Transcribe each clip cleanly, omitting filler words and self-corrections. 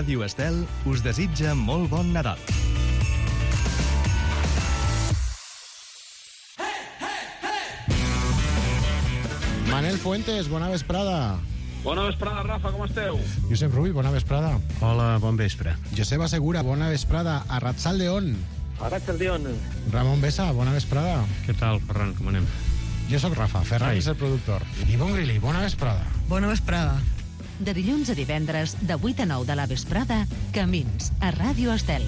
Ràdio Estel us desitja molt bon Nadal. Manel Fuentes, bona vesprada. Bona vesprada, Rafa, com esteu? Josep Rull, bona vesprada. Hola, bon vespre. Joseba Segura, bona vesprada. Arratsaldeon. Arratsaldeon. Ramon Besa, bona vesprada. Què tal, Ferran, com anem? Jo sóc Rafa, Ferran és el productor. Ivonne Grilli, bona vesprada. Bona vesprada. De dilluns a divendres, de 8 a 9 de la vesprada, Camins, a Ràdio Estel.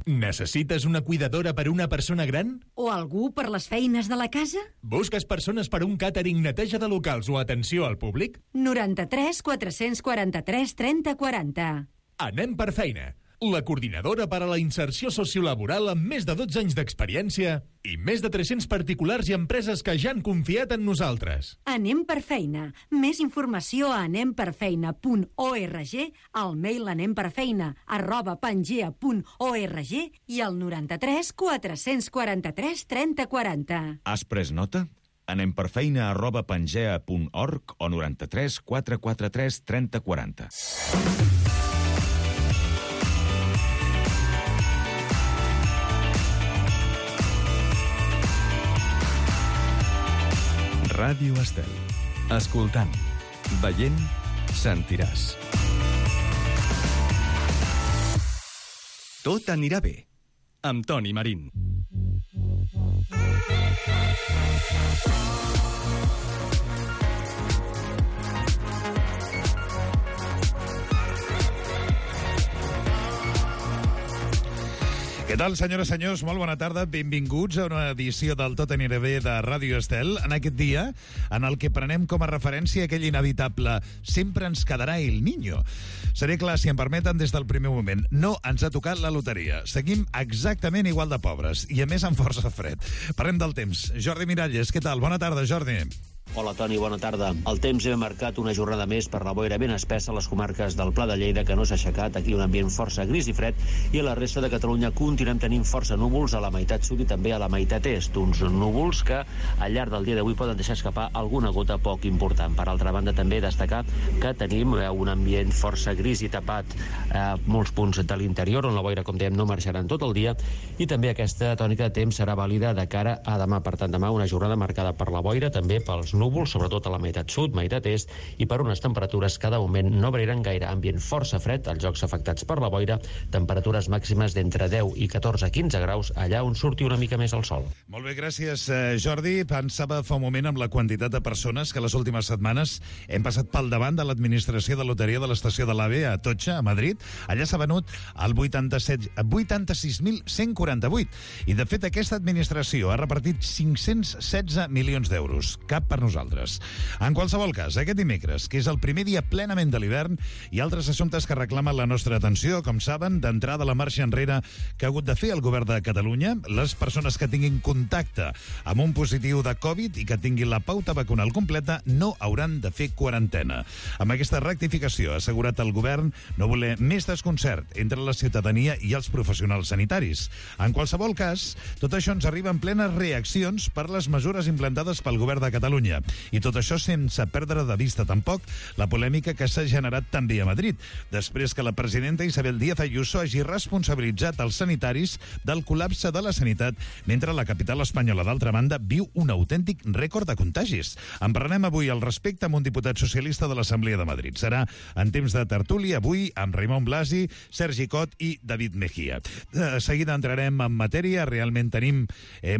Necessites una cuidadora per una persona gran? O algú per les feines de la casa? Busques persones per un càtering, neteja de locals o atenció al públic? 93 443 30 40. Anem per feina. La coordinadora per a la inserció sociolaboral amb més de 12 anys d'experiència i més de 300 particulars i empreses que ja han confiat en nosaltres. Anem per feina. Més informació a anemperfeina.org, al mail anemperfeina@pangea.org i al 93 443 30 40. Has pres nota? anemperfeina@pangea.org o 93 443 30 40. Ràdio Estel. Escoltant, veient, sentiràs. Tot anirà bé. Amb Toni Marín. Què tal, senyores i senyors? Molt bona tarda. Benvinguts a una edició del Tot anirà bé de Ràdio Estel, en aquest dia en el que prenem com a referència aquell inevitable «Sempre ens quedarà el niño». Seré clar, si em permeten, des del primer moment. No ens ha tocat la loteria. Seguim exactament igual de pobres, i a més amb força fred. Parlem del temps. Jordi Miralles, què tal? Bona tarda, Jordi. Hola, Toni, bona tarda. El temps ha marcat una jornada més per la boira ben espessa a les comarques del Pla de Lleida, que no s'ha aixecat. Aquí un ambient força gris i fred, i a la resta de Catalunya continuem tenint força núvols a la meitat sud i també a la meitat est. Uns núvols que al llarg del dia d'avui poden deixar escapar alguna gota poc important. Per altra banda, també destacar que tenim un ambient força gris i tapat a molts punts de l'interior, on la boira, com dèiem, no marxarà en tot el dia, i també aquesta tònica de temps serà vàlida de cara a demà. Per tant, demà una jornada marcada per la boira, també pels núvols, sobretot a la meitat sud, meitat est, i per unes temperatures que de moment no variaran gaire. Ambient força fred als llocs afectats per la boira, temperatures màximes d'entre 10 i 14-15 graus, allà on surti una mica més el sol. Molt bé, gràcies, Jordi. Pensava fa un moment amb la quantitat de persones que les últimes setmanes hem passat pel davant de l'administració de loteria de l'estació de l'AVE a Atocha, a Madrid. Allà s'ha venut el 86.148. I, de fet, aquesta administració ha repartit 516 milions d'euros. Cap per nosaltres. En qualsevol cas, aquest dimecres, que és el primer dia plenament de l'hivern, hi ha altres assumptes que reclamen la nostra atenció. Com saben, d'entrada la marxa enrere que ha hagut de fer el govern de Catalunya. Les persones que tinguin contacte amb un positiu de Covid i que tinguin la pauta vacunal completa no hauran de fer quarantena. Amb aquesta rectificació ha assegurat el govern no voler més desconcert entre la ciutadania i els professionals sanitaris. En qualsevol cas, tot això ens arriba en plenes reaccions per les mesures implantades pel govern de Catalunya. I tot això sense perdre de vista tampoc la polèmica que s'ha generat també a Madrid, després que la presidenta Isabel Díaz Ayuso hagi responsabilitzat els sanitaris del col·lapse de la sanitat, mentre la capital espanyola, d'altra banda, viu un autèntic rècord de contagis. En parlarem avui al respecte amb un diputat socialista de l'Assemblea de Madrid. Serà en temps de tertúlia avui amb Raimon Blasi, Sergi Cot i David Mejía. De seguida entrarem en matèria. Realment tenim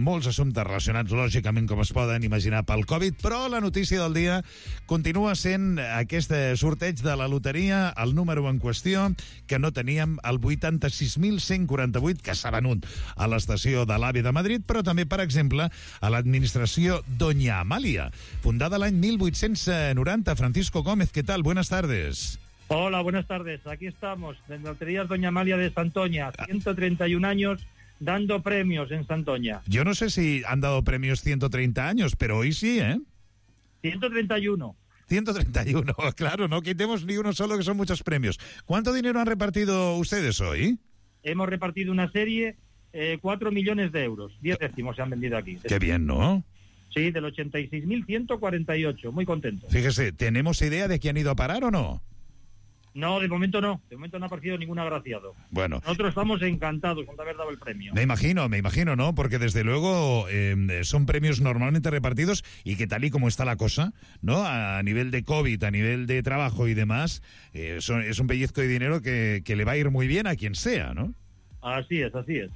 molts assumptes relacionats, lògicament, com es poden imaginar, pel Covid, però la notícia del dia continua sent aquest sorteig de la loteria, el número en qüestió, que no teníem, el 86.148, que s'ha venut a l'estació de l'AVE de Madrid, però també, per exemple, a l'administració Doña Amalia, fundada l'any 1890. Francisco Gómez, ¿qué tal? Buenas tardes. Hola, buenas tardes. Aquí estamos, en Loterías Doña Amalia de Santoña, 131 años dando premios en Santoña. Yo no sé si han dado premios 130 años, pero hoy sí, ¿eh? 131. 131, claro, no quitemos ni uno solo, que son muchos premios. ¿Cuánto dinero han repartido ustedes hoy? Hemos repartido una serie, 4 millones de euros. 10 décimos se han vendido aquí. Qué bien, ¿no? Sí, del 86.148, muy contento. Fíjese, ¿tenemos idea de quién ha ido a parar o no? No, de momento no ha aparecido ningún agraciado. Bueno. Nosotros estamos encantados con haber dado el premio. Me imagino, ¿no? Porque desde luego son premios normalmente repartidos y que tal y como está la cosa, ¿no? A nivel de COVID, a nivel de trabajo y demás, es un pellizco de dinero que le va a ir muy bien a quien sea, ¿no? Así es.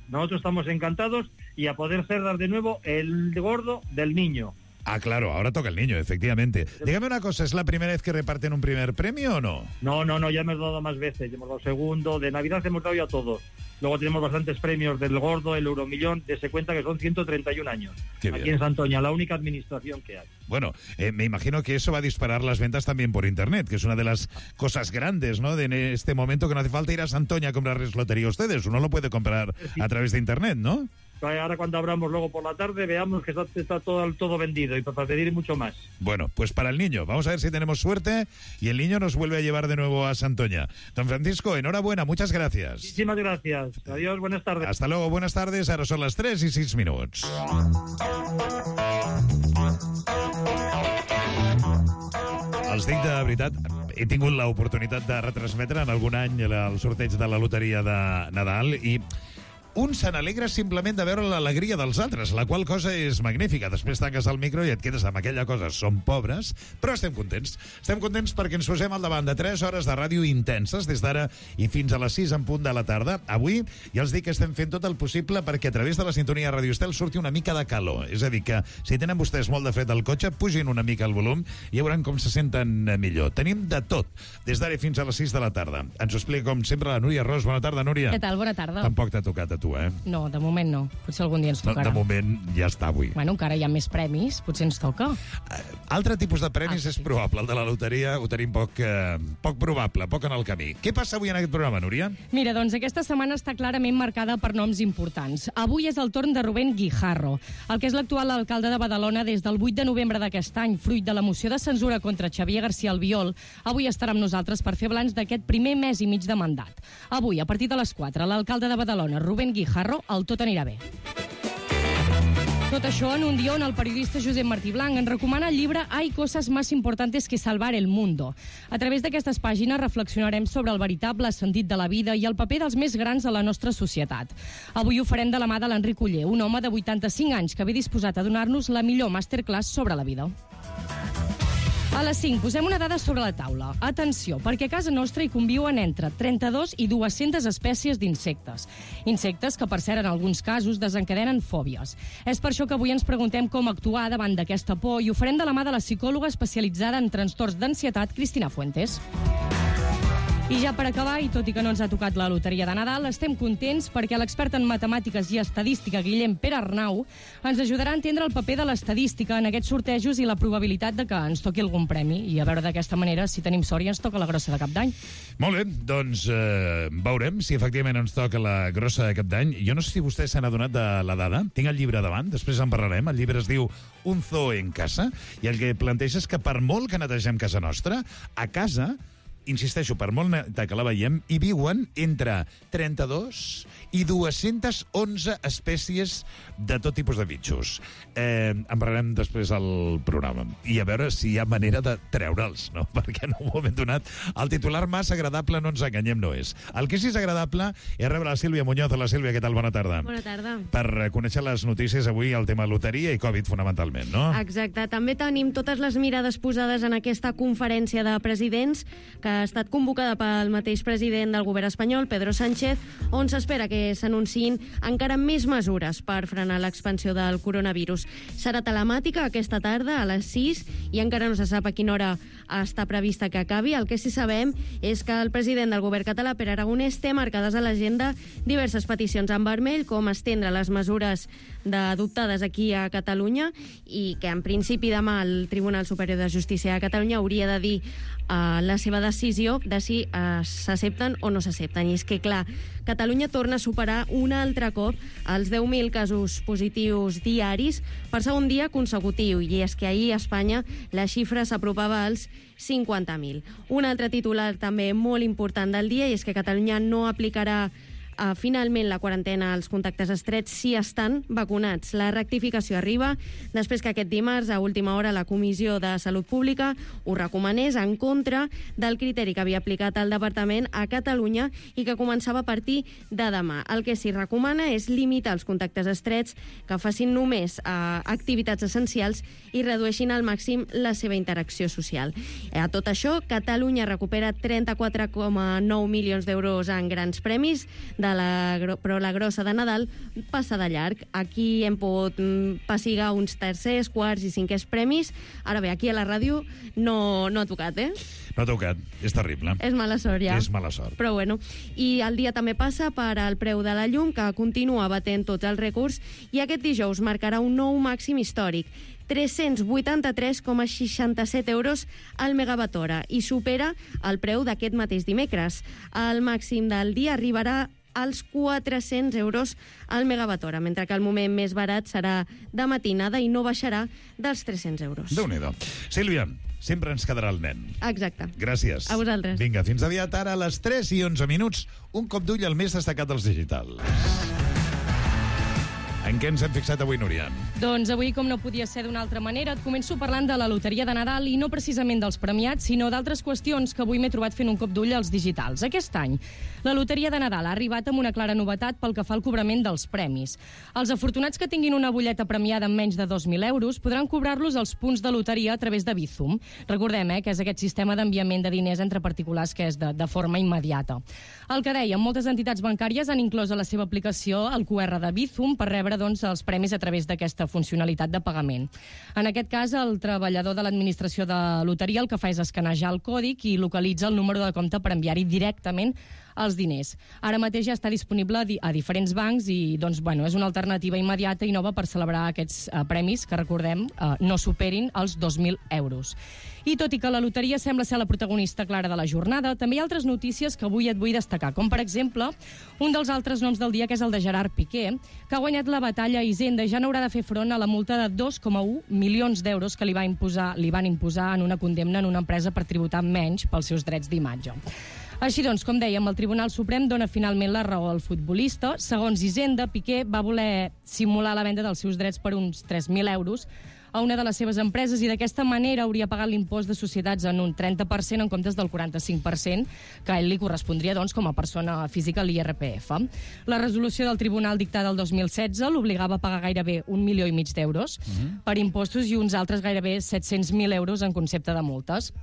Nosotros estamos encantados y a poder cerrar de nuevo el gordo del niño. Ah, claro, ahora toca el niño, efectivamente. Dígame una cosa, ¿es la primera vez que reparten un primer premio o no? No, ya hemos dado más veces, ya hemos dado segundo, de Navidad hemos dado ya todos. Luego tenemos bastantes premios del gordo, el Euromillón, se cuenta que son 131 años. Aquí en Santoña, la única administración que hay. Bueno, me imagino que eso va a disparar las ventas también por Internet, que es una de las cosas grandes, ¿no? De en este momento que no hace falta ir a Santoña a comprarles lotería a ustedes, uno lo puede comprar a través de Internet, ¿no? Ahora cuando abramos luego por la tarde veamos que está todo vendido y para pedir mucho más. Bueno, pues para el niño, vamos a ver si tenemos suerte y el niño nos vuelve a llevar de nuevo a Santoña. Don Francisco, enhorabuena, muchas gracias. Muchísimas gracias. Adiós, buenas tardes. Hasta luego, buenas tardes. Ara són les 3 i 6 minuts. Els dic de veritat, he tingut l'oportunitat de retransmetre en algun any el sorteig de la loteria de Nadal i un se n'alegra simplement de veure l'alegria dels altres, la qual cosa és magnífica. Després tanques el micro i et quedes amb aquella cosa. Som pobres, però estem contents. Estem contents perquè ens posem al davant de 3 hores de ràdio intenses, des d'ara i fins a les 6 en punt de la tarda. Avui ja els dic que estem fent tot el possible perquè a través de la sintonia de Radio Estel surti una mica de calor. És a dir, que si tenen vostès molt de fred al cotxe, pugin una mica el volum i veuran com se senten millor. Tenim de tot, des d'ara fins a les 6 de la tarda. Ens ho explica, com sempre, la Núria Ros. Bona tarda, Núria. Què tal? Bona tarda. Tampoc t'ha tocat a tu, eh? No, de moment no. Potser algun dia ens tocarà. De moment ja està avui. Bueno, encara hi ha més premis, potser ens toca. Altre tipus de premis és probable. El de la loteria ho tenim poc probable, poc en el camí. Què passa avui en aquest programa, Núria? Mira, doncs aquesta setmana està clarament marcada per noms importants. Avui és el torn de Rubén Guijarro, el que és l'actual alcalde de Badalona des del 8 de novembre d'aquest any, fruit de la moció de censura contra Xavier García Albiol. Avui estarà amb nosaltres per fer balanç d'aquest primer mes i mig de mandat. Avui, a partir de les 4, l'alcalde de Badalona, Rubén Guijarro, el tot anirà bé. Tot això en un dia on el periodista Josep Martí Blanc ens recomana el llibre Hay cosas más importantes que salvar el mundo. A través d'aquestes pàgines reflexionarem sobre el veritable sentit de la vida i el paper dels més grans a la nostra societat. Avui ho farem de la mà de l'Enric Oller, un home de 85 anys que ve disposat a donar-nos la millor masterclass sobre la vida. A les 5 posem una dada sobre la taula. Atenció, perquè a casa nostra hi conviuen entre 32 i 200 espècies d'insectes. Insectes que, per cert, en alguns casos desencadenen fòbies. És per això que avui ens preguntem com actuar davant d'aquesta por i ho farem de la mà de la psicòloga especialitzada en trastorns d'ansietat, Cristina Fuentes. I ja per acabar, i tot i que no ens ha tocat la loteria de Nadal, estem contents perquè l'expert en matemàtiques i estadística Guillem Pere Arnau ens ajudarà a entendre el paper de l'estadística en aquests sortejos i la probabilitat de que ens toqui algun premi. I a veure d'aquesta manera, si tenim sort, i ens toca la grossa de Cap d'Any. Molt bé, doncs veurem si efectivament ens toca la grossa de Cap d'Any. Jo no sé si vostè se n'ha adonat de la dada. Tinc el llibre davant, després en parlarem. El llibre es diu Un zoo en casa, i el que planteja és que per molt que netegem casa nostra, a casa, insisteixo, per molt neta que la veiem, hi viuen entre 32 i 211 espècies de tot tipus de bitxos. En parlarem després al programa. I a veure si hi ha manera de treure'ls, no? Perquè en un moment donat el titular massa agradable, no ens enganyem, no és. El que sí és agradable és rebre la Sílvia Muñoz. La Sílvia, què tal? Bona tarda. Bona tarda. Per conèixer les notícies avui, el tema loteria i Covid, fonamentalment, no? Exacte. També tenim totes les mirades posades en aquesta conferència de presidents que ha estat convocada pel mateix president del govern espanyol, Pedro Sánchez, on s'espera que s'anunciïn encara més mesures per frenar l'expansió del coronavirus. Serà telemàtica aquesta tarda a les 6 i encara no se sap a quina hora està prevista que acabi. El que sí sabem és que el president del govern català, Pere Aragonès, té marcades a l'agenda diverses peticions en vermell, com estendre les mesures adoptades aquí a Catalunya, i que en principi demà el Tribunal Superior de Justícia de Catalunya hauria de dir la seva decisió de si s'accepten o no s'accepten. I és que, clar, Catalunya torna a superar un altre cop els 10.000 casos positius diaris per segon dia consecutiu, i és que ahir a Espanya la xifra s'apropava als 50.000. Un altre titular també molt important del dia, i és que Catalunya no aplicarà finalment la quarantena als contactes estrets si estan vacunats. La rectificació arriba després que aquest dimarts, a última hora, la Comissió de Salut Pública ho recomanés en contra del criteri que havia aplicat el Departament a Catalunya i que començava a partir de demà. El que s'hi recomana és limitar els contactes estrets, que facin només activitats essencials i redueixin al màxim la seva interacció social. A tot això, Catalunya recupera 34,9 milions d'euros en grans premis, però la grossa de Nadal passa de llarg. Aquí hem pogut pessigar uns tercers, quarts i cinquers premis. Ara bé, aquí a la ràdio no ha tocat, No ha tocat, és terrible. És mala sort, ja. És mala sort. Però bueno, i el dia també passa per al preu de la llum, que continua batent tots els rècords, i aquest dijous marcarà un nou màxim històric, 383,67 euros al megawatt hora, i supera el preu d'aquest mateix dimecres. El màxim del dia arribarà als 400 euros al megawatt hora, mentre que el moment més barat serà de matinada i no baixarà dels 300 euros. Déu-n'hi-do. Sílvia, sempre ens quedarà el nen. Exacte. Gràcies. A vosaltres. Vinga, fins aviat. Ara a les 3:11, un cop d'ull al més destacat dels digitals. En què ens hem fixat avui, Núria? Doncs avui, com no podia ser d'una altra manera, et començo parlant de la loteria de Nadal i no precisament dels premiats, sinó d'altres qüestions que avui m'he trobat fent un cop d'ull als digitals. Aquest any, la loteria de Nadal ha arribat amb una clara novetat pel que fa al cobrament dels premis. Els afortunats que tinguin una butlleta premiada amb menys de 2.000 euros podran cobrar-los als punts de loteria a través de Bizum. Recordem que és aquest sistema d'enviament de diners entre particulars que és de forma immediata. El que dèiem, moltes entitats bancàries han inclòs a la seva aplicació el QR de Bizum per rebre els premis a través d'aquesta funcionalitat de pagament. En aquest cas, el treballador de l'administració de loteria el que fa és escanejar el còdic i localitza el número de compte per enviar-hi directament els diners. Ara mateix ja està disponible a diferents bancs i és una alternativa immediata i nova per celebrar aquests premis que, recordem, no superin els 2.000 euros. I tot i que la loteria sembla ser la protagonista clara de la jornada, també hi ha altres notícies que avui et vull destacar, com per exemple un dels altres noms del dia, que és el de Gerard Piqué, que ha guanyat la batalla a Hisenda i ja n'haurà de fer front a la multa de 2,1 milions d'euros que li van imposar en una condemna en una empresa per tributar menys pels seus drets d'imatge. Així doncs, com dèiem, el Tribunal Suprem dona finalment la raó al futbolista. Segons Hisenda, Piqué va voler simular la venda dels seus drets per uns 3.000 euros a una de les seves empreses i d'aquesta manera hauria pagat l'impost de societats en un 30% en comptes del 45% que a ell li correspondria com a persona física a l'IRPF. La resolució del Tribunal dictada el 2016 l'obligava a pagar gairebé 1,5 milions d'euros per impostos i uns altres gairebé 700.000 euros en concepte de multes.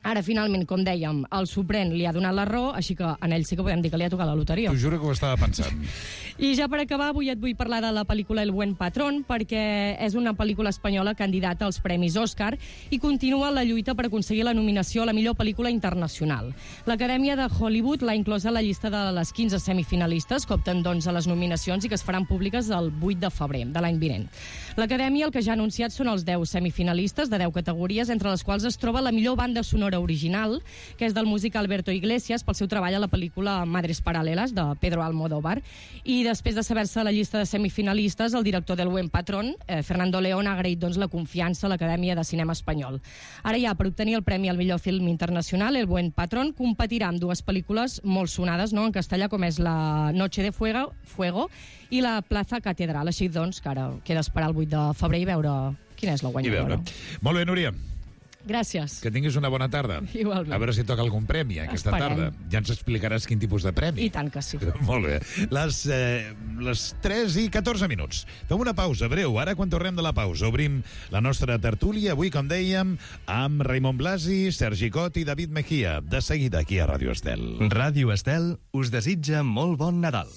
Ara, finalment, com dèiem, el Suprem li ha donat la raó, així que en ell sí que podem dir que li ha tocat la loteria. T'ho juro que ho estava pensant. I ja per acabar, avui et vull parlar de la pel·lícula El buen patrón, perquè és una pel·lícula espanyola candidata als Premis Òscar i continua la lluita per aconseguir la nominació a la millor pel·lícula internacional. L'Acadèmia de Hollywood l'ha inclosa a la llista de les 15 semifinalistes que opten a les nominacions i que es faran públiques el 8 de febrer de l'any vinent. L'Acadèmia el que ja ha anunciat són els 10 semifinalistes de 10 categories, entre les quals es troba la millor banda sonora original, que és del músic Alberto Iglesias, pel seu treball a la pel·lícula Madres Paralelas, de Pedro Almodóvar. I després de saber-se la llista de semifinalistes, el director del Buen Patrón, Fernando León, ha agraït la confiança a l'Acadèmia de Cinema Espanyol. Ara ja, per obtenir el premi al millor film internacional, El Buen Patrón competirà amb dues pel·lícules molt sonades en castellà, com és La Noche de Fuego i La Plaza Catedral. Així que ara queda esperar el 8 de febrer i veure quina és la guanyadora. Molt bé, Núria. Gràcies. Que tinguis una bona tarda. Igualment. A veure si toca algun premi aquesta tarda. Ja ens explicaràs quin tipus de premi. I tant que sí. Molt bé. Les 3:14. Fem una pausa breu. Ara, quan tornem de la pausa, obrim la nostra tertúlia. Avui, com dèiem, amb Raimon Blasi, Sergi Cot i David Mejía. De seguida, aquí a Ràdio Estel. Ràdio Estel us desitja molt bon Nadal.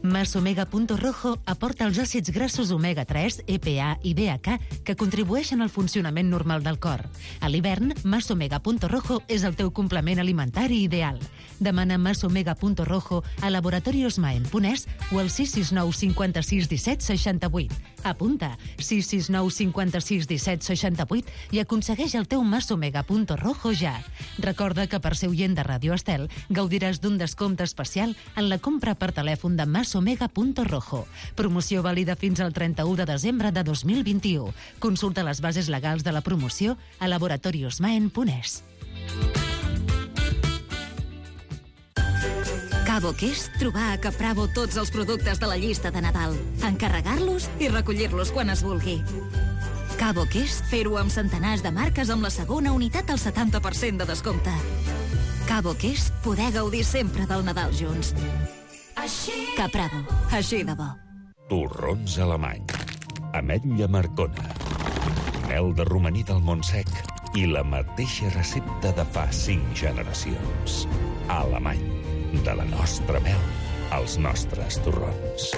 Masomega.rojo aporta els àcids grassos omega-3, EPA i DHA que contribueixen al funcionament normal del cor. A l'hivern, Masomega.rojo és el teu complement alimentari ideal. Demana Masomega.rojo a Laboratorios Maen Ponès o al 669 56 17 68. Apunta 669 56 17 68 i aconsegueix el teu Masomega.rojo ja. Recorda que per ser oient de Ràdio Estel gaudiràs d'un descompte especial en la compra per telèfon de Masomega masomega.rojo. Promoció vàlida fins al 31 de desembre de 2021. Consulta les bases legals de la promoció a laboratoriosmaen.es. Cabo que és trobar a Capravo tots els productes de la llista de Nadal, encarregar-los i recollir-los quan es vulgui. Cabo que és fer-ho amb centenars de marques amb la segona unitat al 70% de descompte. Cabo que és poder gaudir sempre del Nadal junts. Capravo, així de bo. Torrons alemany, ametlla marcona, mel de romaní del Montsec i la mateixa recepta de fa 5 generacions. Alemany, de la nostra mel, als nostres torrons.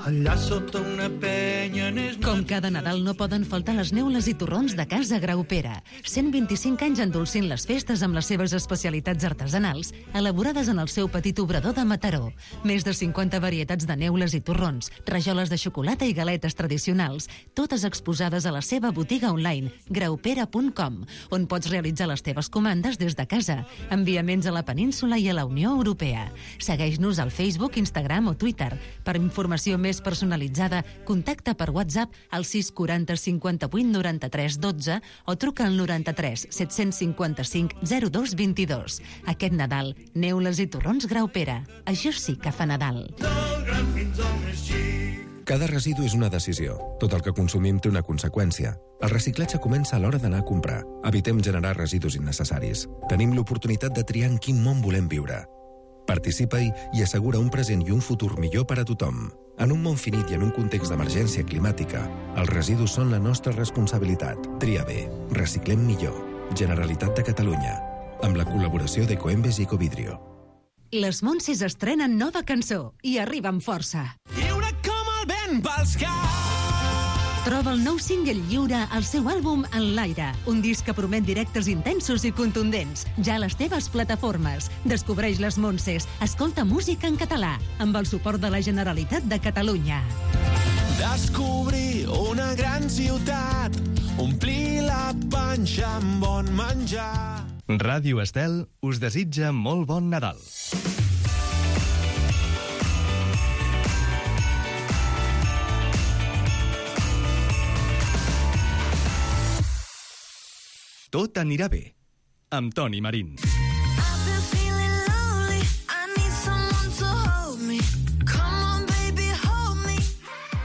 Allà sota una penya... Com cada Nadal no poden faltar les neules i torrons de Casa Graupera. 125 anys endolcint les festes amb les seves especialitats artesanals, elaborades en el seu petit obrador de Mataró. Més de 50 varietats de neules i torrons, rajoles de xocolata i galetes tradicionals, totes exposades a la seva botiga online, graupera.com, on pots realitzar les teves comandes des de casa. Enviaments a la península i a la Unió Europea. Segueix-nos al Facebook, Instagram o Twitter. Per informació més personalitzada, contacta per WhatsApp al 640 58 93 12 o truca al 93 755 02 22. Aquest Nadal, neules i torrons Graupera. Això sí que fa Nadal. Cada residu és una decisió. Tot el que consumim té una conseqüència. El reciclatge comença a l'hora d'anar a comprar. Evitem generar residus innecessaris. Tenim l'oportunitat de triar en quin món volem viure. Participa-hi i assegura un present i un futur millor per a tothom. En un món finit i en un context d'emergència climàtica, els residus són la nostra responsabilitat. Tria bé. Reciclem millor. Generalitat de Catalunya. Amb la col·laboració d'Ecoembes i Ecovidrio. Les Montses estrenen nova cançó i arriba amb força. Lliure com el vent pels caps. Troba el nou single Lliure al seu àlbum En l'aire, un disc que promet directes intensos i contundents, ja a les teves plataformes. Descobreix les Montses, escolta música en català, amb el suport de la Generalitat de Catalunya. Descobrir una gran ciutat, omplir la panxa amb bon menjar. Ràdio Estel us desitja molt bon Nadal. Tot anirà bé, amb Toni Marín.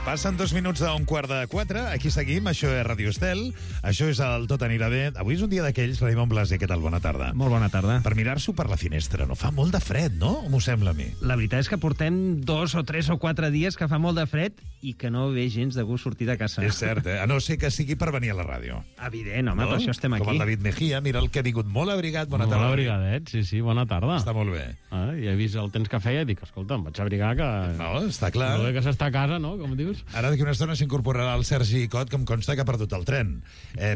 Passen 2 minuts d'un 3:45. Aquí seguim, això és Ràdio Estel. Això és el Tot anirà bé. Avui és un dia d'aquells, Raimon Blasi, què tal? Bona tarda. Molt bona tarda. Per mirar-s'ho per la finestra, no? Fa molt de fred, no? M'ho sembla a mi. La veritat és que portem 2 o 3 o 4 dies que fa molt de fred i que no ve gens de gust sortir de casa. És cert, A no ser que sigui per venir a la ràdio. Evident, home, per això estem aquí. Com el David Mejía, mira el que ha vingut molt abrigat. Bona tarda. Molt abrigadet, sí, bona tarda. Està molt bé. I he vist el temps que feia i dic, escolta, em vaig abrigar que... No, està clar. No, que s'està a casa, no?, com dius. Ara d'aquí una estona s'incorporarà el Sergi Cot, que em consta que ha perdut el tren.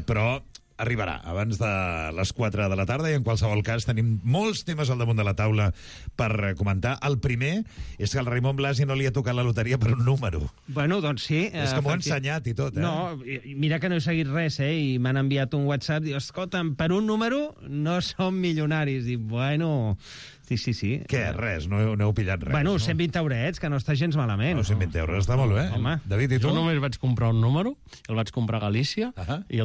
Però arribarà abans de les 4 de la tarda i en qualsevol cas tenim molts temes al damunt de la taula per comentar. El primer és que al Raimon Blasi no li ha tocat la loteria per un número. Bueno, doncs sí. És que m'ho ha ensenyat i tot, No, mira que no he seguit res, i m'han enviat un WhatsApp, diu, escolta'm, per un número no som milionaris. Dic, bueno... Sí. Què, res? No heu pillat res? Bueno, no? 120 eurets, que no està gens malament. 120 euros, està molt bé. Home. David, i tu? Jo només vaig comprar un número, el vaig comprar a Galícia, i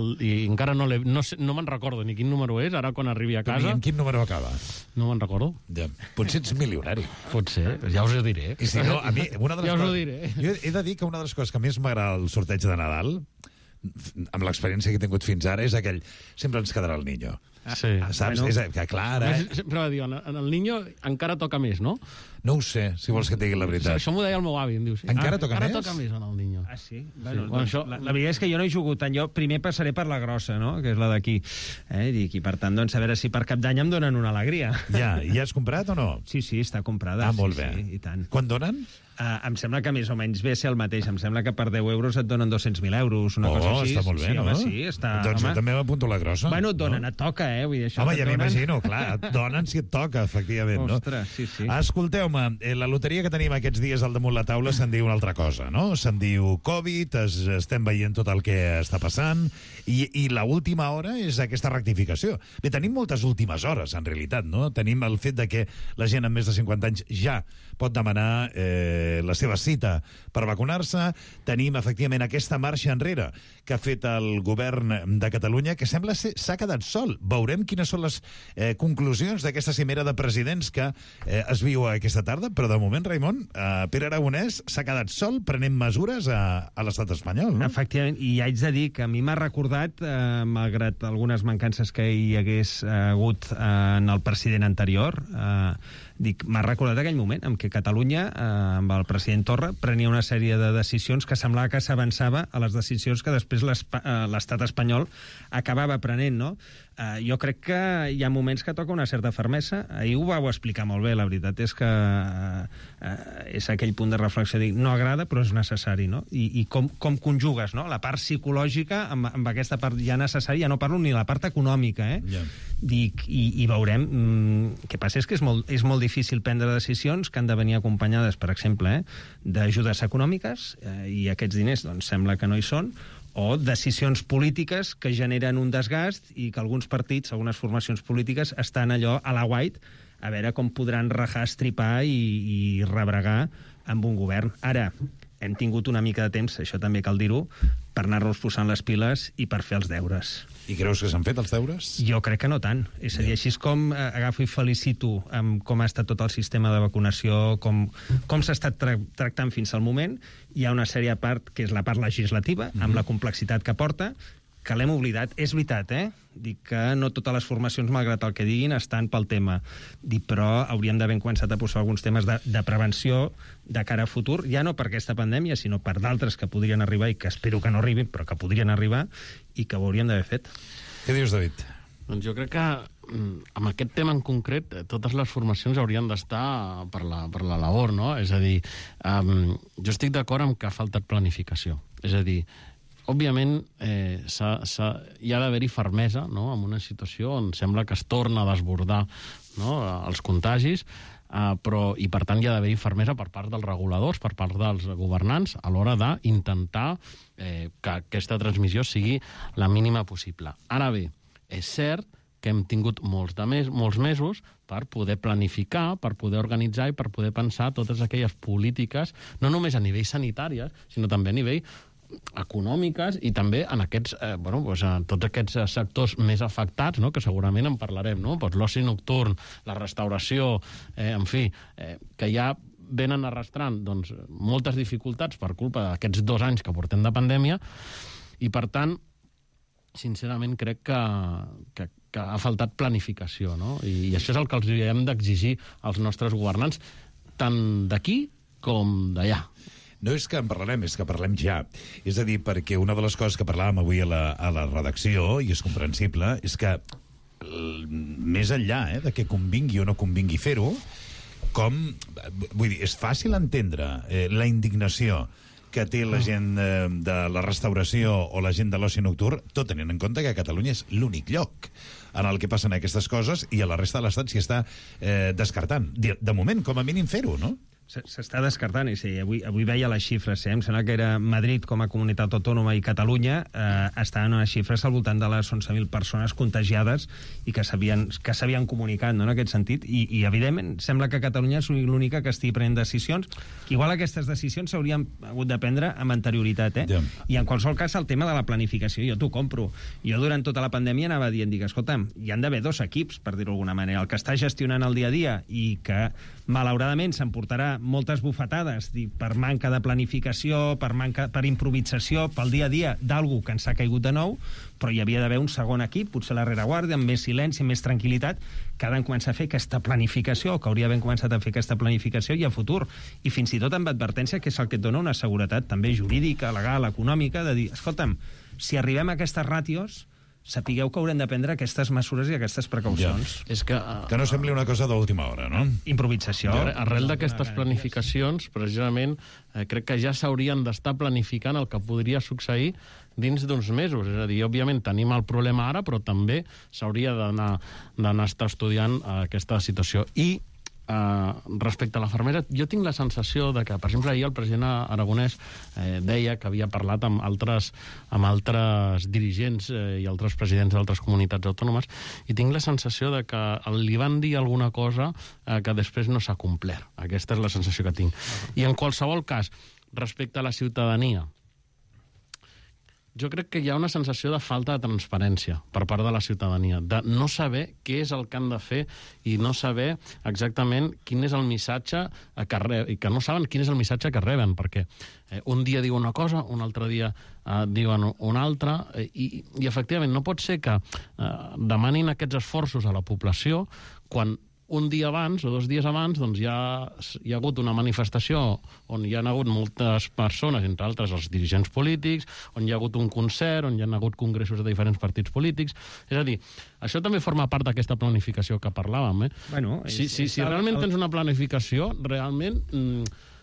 encara no me'n recordo ni quin número és, ara quan arribi a casa... I en quin número acaba? No me'n recordo. Ja. Potser ets milionari. Potser, ja us ho diré. I si no, a mi, una de les ja us ho coses... diré. Jo he de dir que una de les coses que més m'agrada el sorteig de Nadal, amb l'experiència que he tingut fins ara, és aquell... Sempre ens quedarà el niño. Sí. Saps? És que clar, ara... Sempre va dir, en el niño encara toca més, no? No ho sé, si vols que et digui la veritat. Això m'ho deia el meu avi, em diu. Sí. Encara toca més? Encara toca més en el niño. Ah, sí? Bueno, això... la veritat és que jo no he jugut tant. Jo primer passaré per la grossa, no?, que és la d'aquí. I per tant, doncs, a veure si per Cap d'Any em donen una alegria. Ja has comprat o no? Sí, està comprada. Ah, molt bé. Sí, i tant. Quan donen? Em sembla que més o menys ve ser el mateix. Em sembla que per 10 euros et donen 200.000 euros, una cosa així. Està molt bé, sí, no? Home, sí, està... Doncs jo també m'apunto la grossa. Bueno, et donen, et toca, Vull dir, això home, ja m'imagino, clar, et donen si et toca, efectivament, no? Ostres, sí. Escolteu-me, la loteria que tenim aquests dies al damunt la taula se'n diu una altra cosa, no? Se'n diu Covid, estem veient tot el que està passant, i l'última hora és aquesta rectificació. Bé, tenim moltes últimes hores, en realitat, no? Tenim el fet de que la gent amb més de 50 anys ja pot demanar la seva cita per vacunar-se. Tenim, efectivament, aquesta marxa enrere que ha fet el govern de Catalunya, que sembla ser s'ha quedat sol. Veurem quines són les conclusions d'aquesta cimera de presidents que es viu aquesta tarda, però de moment, Raimon, Pere Aragonès s'ha quedat sol prenent mesures a l'estat espanyol, no? Efectivament, i haig de dir que a mi m'ha recordat, malgrat algunes mancances que hi hagués hagut en el president anterior, m'ha recordat aquell moment en què Catalunya, amb el president Torra, prenia una sèrie de decisions que semblava que s'avançava a les decisions que després l'estat espanyol acabava prenent, no? Jo crec que hi ha moments que toca una certa fermesa. Ahir ho vau explicar molt bé, la veritat és que és aquell punt de reflexió, dir, no agrada però és necessari, no? I com conjugues, no? La part psicològica amb aquesta part ja necessària, ja no parlo ni la part econòmica, Dic, i veurem. El que passa és que és molt difícil prendre decisions que han de venir acompanyades, per exemple, d'ajudes econòmiques, i aquests diners doncs sembla que no hi són, o decisions polítiques que generen un desgast i que alguns partits, algunes formacions polítiques, estan allò a la white a veure com podran rajar, estripar i rebregar amb un govern. Ara, hem tingut una mica de temps, això també cal dir-ho, per anar-nos posant les piles i per fer els deures. I creus que s'han fet els deures? Jo crec que no tant. És a dir, així com agafo i felicito amb com ha estat tot el sistema de vacunació, com s'ha estat tractant fins al moment, hi ha una sèrie de part, que és la part legislativa, amb la complexitat que porta, que l'hem oblidat. És veritat, Dic que no totes les formacions, malgrat el que diguin, estan pel tema. Dic, però hauríem d'haver començat a posar alguns temes de prevenció de cara a futur, ja no per aquesta pandèmia, sinó per d'altres que podrien arribar i que espero que no arribin, però que podrien arribar i que ho hauríem d'haver fet. Què dius, David? Doncs jo crec que amb aquest tema en concret totes les formacions haurien d'estar per la labor, no? És a dir, jo estic d'acord amb que ha faltat planificació. És a dir, òbviament, hi ha d'haver-hi fermesa, no?, en una situació on sembla que es torna a desbordar, no?, els contagis, i per tant hi ha d'haver-hi fermesa per part dels reguladors, per part dels governants, a l'hora d'intentar que aquesta transmissió sigui la mínima possible. Ara bé, és cert que hem tingut molts mesos per poder planificar, per poder organitzar i per poder pensar totes aquelles polítiques, no només a nivell sanitari, sinó també a nivell econòmiques i també en aquests, tots aquests sectors més afectats, no?, que segurament en parlarem, no?, l'oci nocturn, la restauració, en fi, que ja venen arrastrant doncs, moltes dificultats per culpa d'aquests 2 anys que portem de pandèmia, i per tant, sincerament crec que ha faltat planificació, no?, i això és el que els hem d'exigir als nostres governants, tant d'aquí com d'allà. No és que en parlarem, és que parlem ja. És a dir, perquè una de les coses que parlàvem avui a la redacció, i és comprensible, és que més enllà de que convingui o no convingui fer-ho, vull dir, és fàcil entendre la indignació que té la gent de la restauració o la gent de l'oci nocturn, tot tenint en compte que Catalunya és l'únic lloc en el que passen aquestes coses i a la resta de l'Estat s'hi està descartant. De moment, com a mínim, fer-ho, no? S'està descartant, i sí, avui veia les xifres, em sembla que era Madrid com a comunitat autònoma i Catalunya estaven unes xifres al voltant de les 11.000 persones contagiades i que s'havien comunicat, no?, en aquest sentit, i evidentment sembla que Catalunya és l'única que estigui prenent decisions, que igual aquestes decisions s'haurien hagut de prendre amb anterioritat, I en qualsevol cas el tema de la planificació, jo t'ho compro. Jo durant tota la pandèmia anava dient, escolta'm, hi han d'haver 2 equips, per dir-ho d'alguna manera, el que està gestionant el dia a dia i que malauradament s'emportarà moltes bufetades per manca de planificació, per improvisació, pel dia a dia d'algú que ens ha caigut de nou, però hi havia d'haver un segon equip, potser a la rereguarda, amb més silenci, amb més tranquil·litat, que ha de començar a fer aquesta planificació, que hauria d'haver començat a fer aquesta planificació i a futur. I fins i tot amb advertència, que és el que et dona una seguretat també jurídica, legal, econòmica, de dir, escolta'm, si arribem a aquestes ràtios, sapigueu que haurem de prendre aquestes mesures i aquestes precaucions. Ja. És que no sembli una cosa d'última hora, no? Improvisació. Arrel d'aquestes planificacions, precisament, crec que ja s'haurien d'estar planificant el que podria succeir dins d'uns mesos. És a dir, òbviament tenim el problema ara, però també s'hauria d'anar estar estudiant aquesta situació. I respecte a la fermera, jo tinc la sensació de que, per exemple, ahir el president Aragonès deia que havia parlat amb altres dirigents i altres presidents d'altres comunitats autònomes, i tinc la sensació de que li van dir alguna cosa que després no s'ha complert. Aquesta és la sensació que tinc. I en qualsevol cas, respecte a la ciutadania, jo crec que hi ha una sensació de falta de transparència per part de la ciutadania, de no saber què és el que han de fer i no saber exactament quin és el missatge que reben, i que no saben quin és el missatge que reben, perquè un dia diuen una cosa, un altre dia diuen una altra, i efectivament no pot ser que demanin aquests esforços a la població quan un dia abans o 2 dies abans doncs hi ha hagut una manifestació on hi ha hagut moltes persones, entre altres els dirigents polítics, on hi ha hagut un concert, on hi ha hagut congressos de diferents partits polítics. És a dir, això també forma part d'aquesta planificació que parlàvem. Bueno, si realment tens una planificació, realment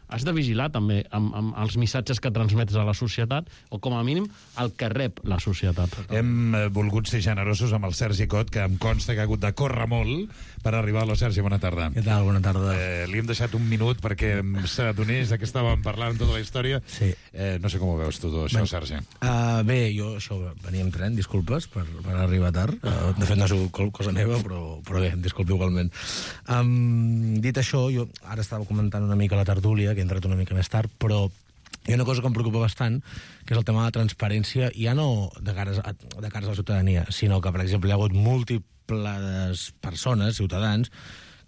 has de vigilar també amb els missatges que transmets a la societat, o com a mínim el que rep la societat. Hem volgut ser generosos amb el Sergi Cot, que em consta que ha hagut de córrer molt per arribar a la Sergi. Bona tarda. Què tal? Bona tarda. Li hem deixat un minut perquè s'adonés que estàvem parlant tota la història. Sí. No sé com ho veus tu, això, Sergi. Bé, jo venia amb tren, disculpes per arribar tard. De fet, no ha sigut cosa meva, però bé, disculpi igualment. Dit això, jo ara estava comentant una mica la tertúlia, que he entrat una mica més tard, però hi ha una cosa que em preocupa bastant, que és el tema de la transparència, ja no de cares a la ciutadania, sinó que, per exemple, hi ha hagut múltiples persones, ciutadans,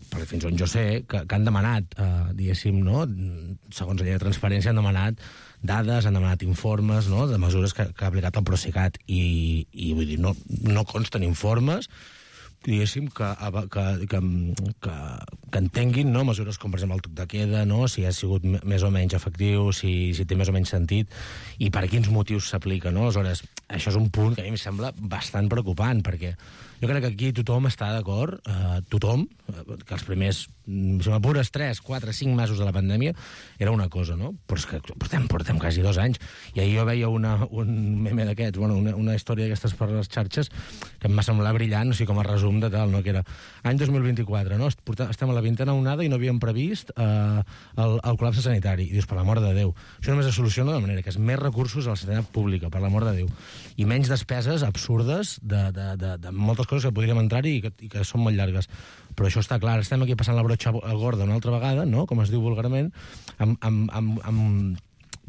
perquè fins on jo sé, que han demanat, diguéssim, no? Segons la llei de transparència, han demanat dades, han demanat informes, no? De mesures que ha aplicat el Procicat, i vull dir, no consten informes, diguéssim, que entenguin, no? Mesures com, per exemple, el toc de queda, no? Si ha sigut més o menys efectiu, si té més o menys sentit, i per quins motius s'aplica, no? Aleshores, això és un punt que a mi em sembla bastant preocupant, perquè jo crec que aquí tothom està d'acord, tothom, que els primers, si m'apures, 3, 4, 5 mesos de la pandèmia era una cosa, no? Però és que portem quasi 2 anys. I ahir jo veia un meme d'aquests, una història d'aquestes per les xarxes, que em va semblar brillant, o sigui, com a resum de tal, no? Que era any 2024, no? Estem a la 20a onada i no havíem previst el col·lapse sanitari. I dius, per l'amor de Déu. Això només es soluciona de manera que és més recursos a la sanitat pública, per l'amor de Déu. I menys despeses absurdes de moltes coses que podríem entrar-hi i que són molt llargues. Però això està clar, estem aquí passant la brotxa gorda una altra vegada, no? Com es diu vulgarment,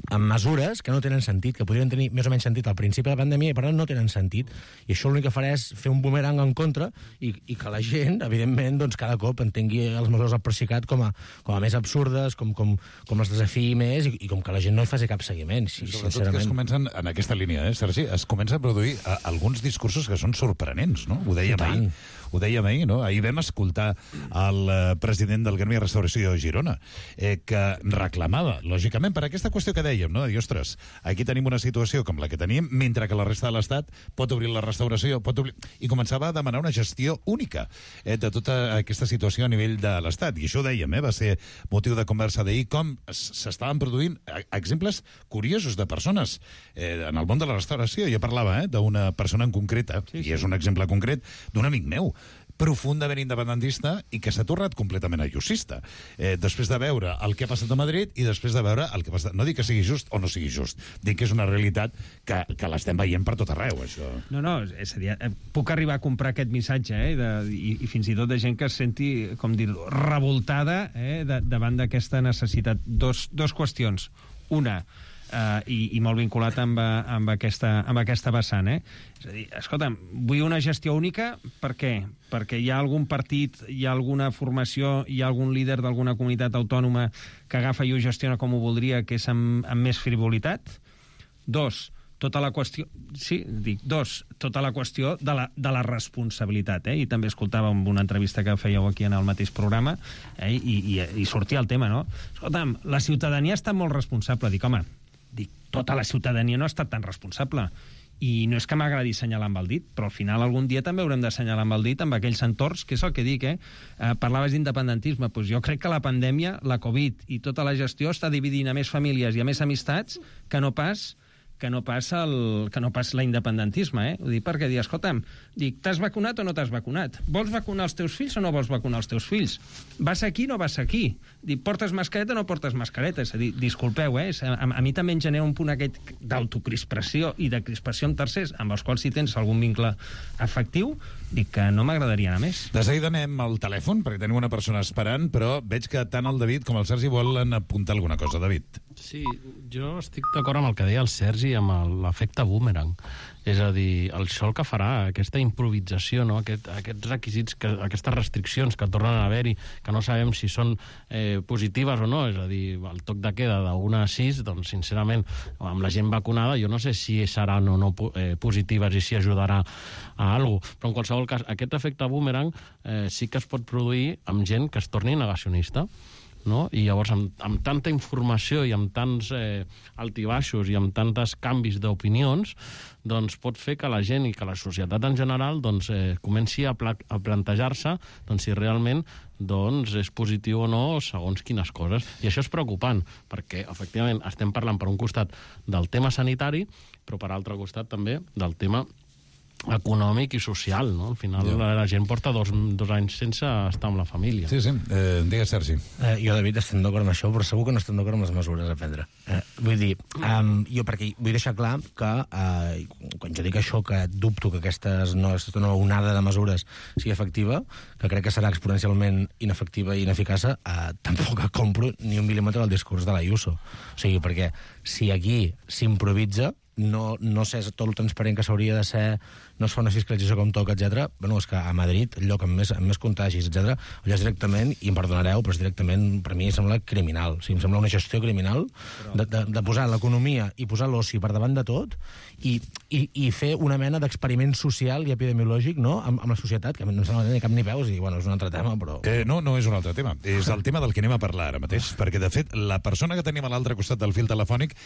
amb mesures que no tenen sentit, que podrien tenir més o menys sentit al principi de la pandèmia i per tant no tenen sentit. I això l'únic que farà és fer un bumerang en contra i que la gent, evidentment, doncs, cada cop entengui les mesures del Procicat com a més absurdes, com les desafiï més i com que la gent no hi faci cap seguiment. Sobretot que es comencen, en aquesta línia, Sergi, es comença a produir alguns discursos que són sorprenents, no? Ho dèiem ahir, no? Ahir vam escoltar el president del Gremi de Restauració de Girona, que reclamava, lògicament, per aquesta qüestió que dèiem, no? De dir, ostres, aquí tenim una situació com la que tenim, mentre que la resta de l'Estat pot obrir la restauració, i començava a demanar una gestió única de tota aquesta situació a nivell de l'Estat. I això ho dèiem, va ser motiu de conversa d'ahir, com s'estaven produint exemples curiosos de persones en el món de la restauració. Jo parlava d'una persona en concreta, i és un exemple concret, d'un amic meu, profundament independentista i que s'ha tornat completament ayusista. Després de veure el que ha passat a Madrid i després de veure el que ha passat... No dic que sigui just o no sigui just, dic que és una realitat que l'estem veient per tot arreu, això. No, és a dir, puc arribar a comprar aquest missatge, i fins i tot de gent que es senti, com dir-ho, revoltada davant d'aquesta necessitat. Dos qüestions. Una, i molt vinculat amb aquesta vessant, És a dir, escolta'm, vull una gestió única, per què? Perquè hi ha algun partit, hi ha alguna formació, hi ha algun líder d'alguna comunitat autònoma que agafa i ho gestiona com ho voldria, que és amb més frivolitat? Tota la qüestió de la responsabilitat, i també escoltàvem una entrevista que fèieu aquí en el mateix programa, i sortia el tema, no? Escolta'm, la ciutadania està molt responsable. Dic, tota la ciutadania no ha estat tan responsable. I no és que m'agradi assenyalar amb el dit, però al final algun dia també haurem d'assenyalar amb el dit amb aquells entorns, que és el que dic, parlaves d'independentisme, doncs jo crec que la pandèmia, la Covid i tota la gestió està dividint a més famílies i a més amistats que no pas l'independentisme, Ho dic perquè, escolta'm, t'has vacunat o no t'has vacunat? Vols vacunar els teus fills o no vols vacunar els teus fills? Vas aquí o no vas aquí? Portes mascareta o no portes mascareta? És a dir, disculpeu, a mi també em genera un punt aquest d'autocrispació i de crispació amb tercers, amb els quals si tens algun vincle afectiu, dic que no m'agradaria anar més. De seguida anem al telèfon, perquè tenim una persona esperant, però veig que tant el David com el Sergi volen apuntar alguna cosa. David. Sí, jo estic d'acord amb el que deia el Sergi, amb l'efecte boomerang. És a dir, això el que farà, aquesta improvisació, no? Aquests requisits, aquestes restriccions que tornen a haver-hi, que no sabem si són positives o no, és a dir, el toc de queda de 1 a 6, doncs, sincerament, amb la gent vacunada, jo no sé si seran o no positives i si ajudarà a alguna cosa, però en qualsevol cas, aquest efecte boomerang sí que es pot produir amb gent que es torni negacionista, no? I llavors amb tanta informació i amb tants altibaixos i amb tantes canvis d'opinions, doncs pot fer que la gent i que la societat en general doncs, comenci a plantejar-se doncs, si realment doncs, és positiu o no segons quines coses. I això és preocupant, perquè efectivament estem parlant per un costat del tema sanitari, però per altre costat també del tema econòmic i social, no? Al final la gent porta 2 anys sense estar amb la família. Sí. Digues, Sergi. Jo, David, estem d'acord amb això, però segur que no estem d'acord amb les mesures a prendre. Vull dir, jo perquè vull deixar clar que quan jo dic això, que dubto que aquesta onada de mesures sigui efectiva, que crec que serà exponencialment inefectiva i ineficaça, tampoc compro ni un mil·límetre del discurs de l'Ayuso. O sigui, perquè si aquí s'improvisa, no sé tot el transparent que s'hauria de ser, no es fa una fiscalització com toca, etc. Bueno, és que a Madrid, el lloc amb més contagis, etc., allò és directament, i em perdonareu, però és directament, per mi, sembla criminal. O sigui, em sembla una gestió criminal de posar l'economia i posar l'oci per davant de tot i fer una mena d'experiment social i epidemiològic, no?, amb la societat, que no em sembla ni cap ni peus, i bueno, és un altre tema, però... No és un altre tema. És el tema del que anem a parlar ara mateix, perquè, de fet, la persona que tenim a l'altre costat del fil telefònic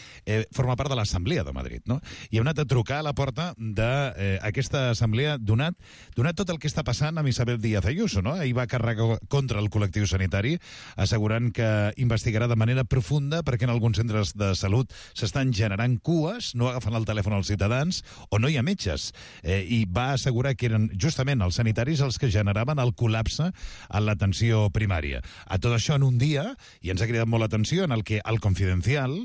forma part de l'Assemblea de Madrid, no? I hem anat a trucar a la porta d'aquesta assemblea donat tot el que està passant amb Isabel Díaz Ayuso, no? Ahir va carregar contra el col·lectiu sanitari, assegurant que investigarà de manera profunda perquè en alguns centres de salut s'estan generant cues, no agafen el telèfon als ciutadans, o no hi ha metges. I va assegurar que eren justament els sanitaris els que generaven el col·lapse en l'atenció primària. A tot això en un dia, i ens ha cridat molt l'atenció, en el que el Confidencial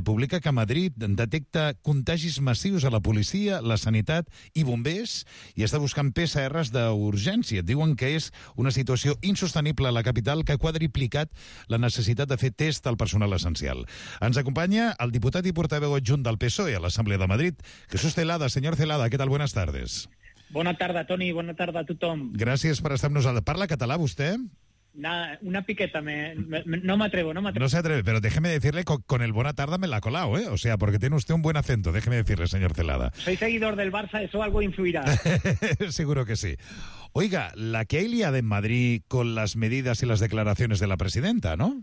publica que Madrid detecta contagis massius a la policia, la sanitat i bombers, i està buscant PCRs d'urgència. Diuen que és una situació insostenible a la capital que ha quadriplicat la necessitat de fer test al personal essencial. Ens acompanya el diputat i portaveu adjunt del PSOE a l'Assemblea de Madrid, Jesús Celada. Señor Celada, ¿qué tal? Buenas tardes. Bona tarda, Toni. Bona tarda a tothom. Gràcies per estar amb nosaltres. Parla català, vostè? Una piqueta, no me atrevo. No se atreve, pero déjeme decirle, con el buena tarde me la ha colado, ¿eh? O sea, porque tiene usted un buen acento, déjeme decirle, señor Celada. Soy seguidor del Barça, eso algo influirá. Seguro que sí. Oiga, la que hay liada en Madrid con las medidas y las declaraciones de la presidenta, ¿no?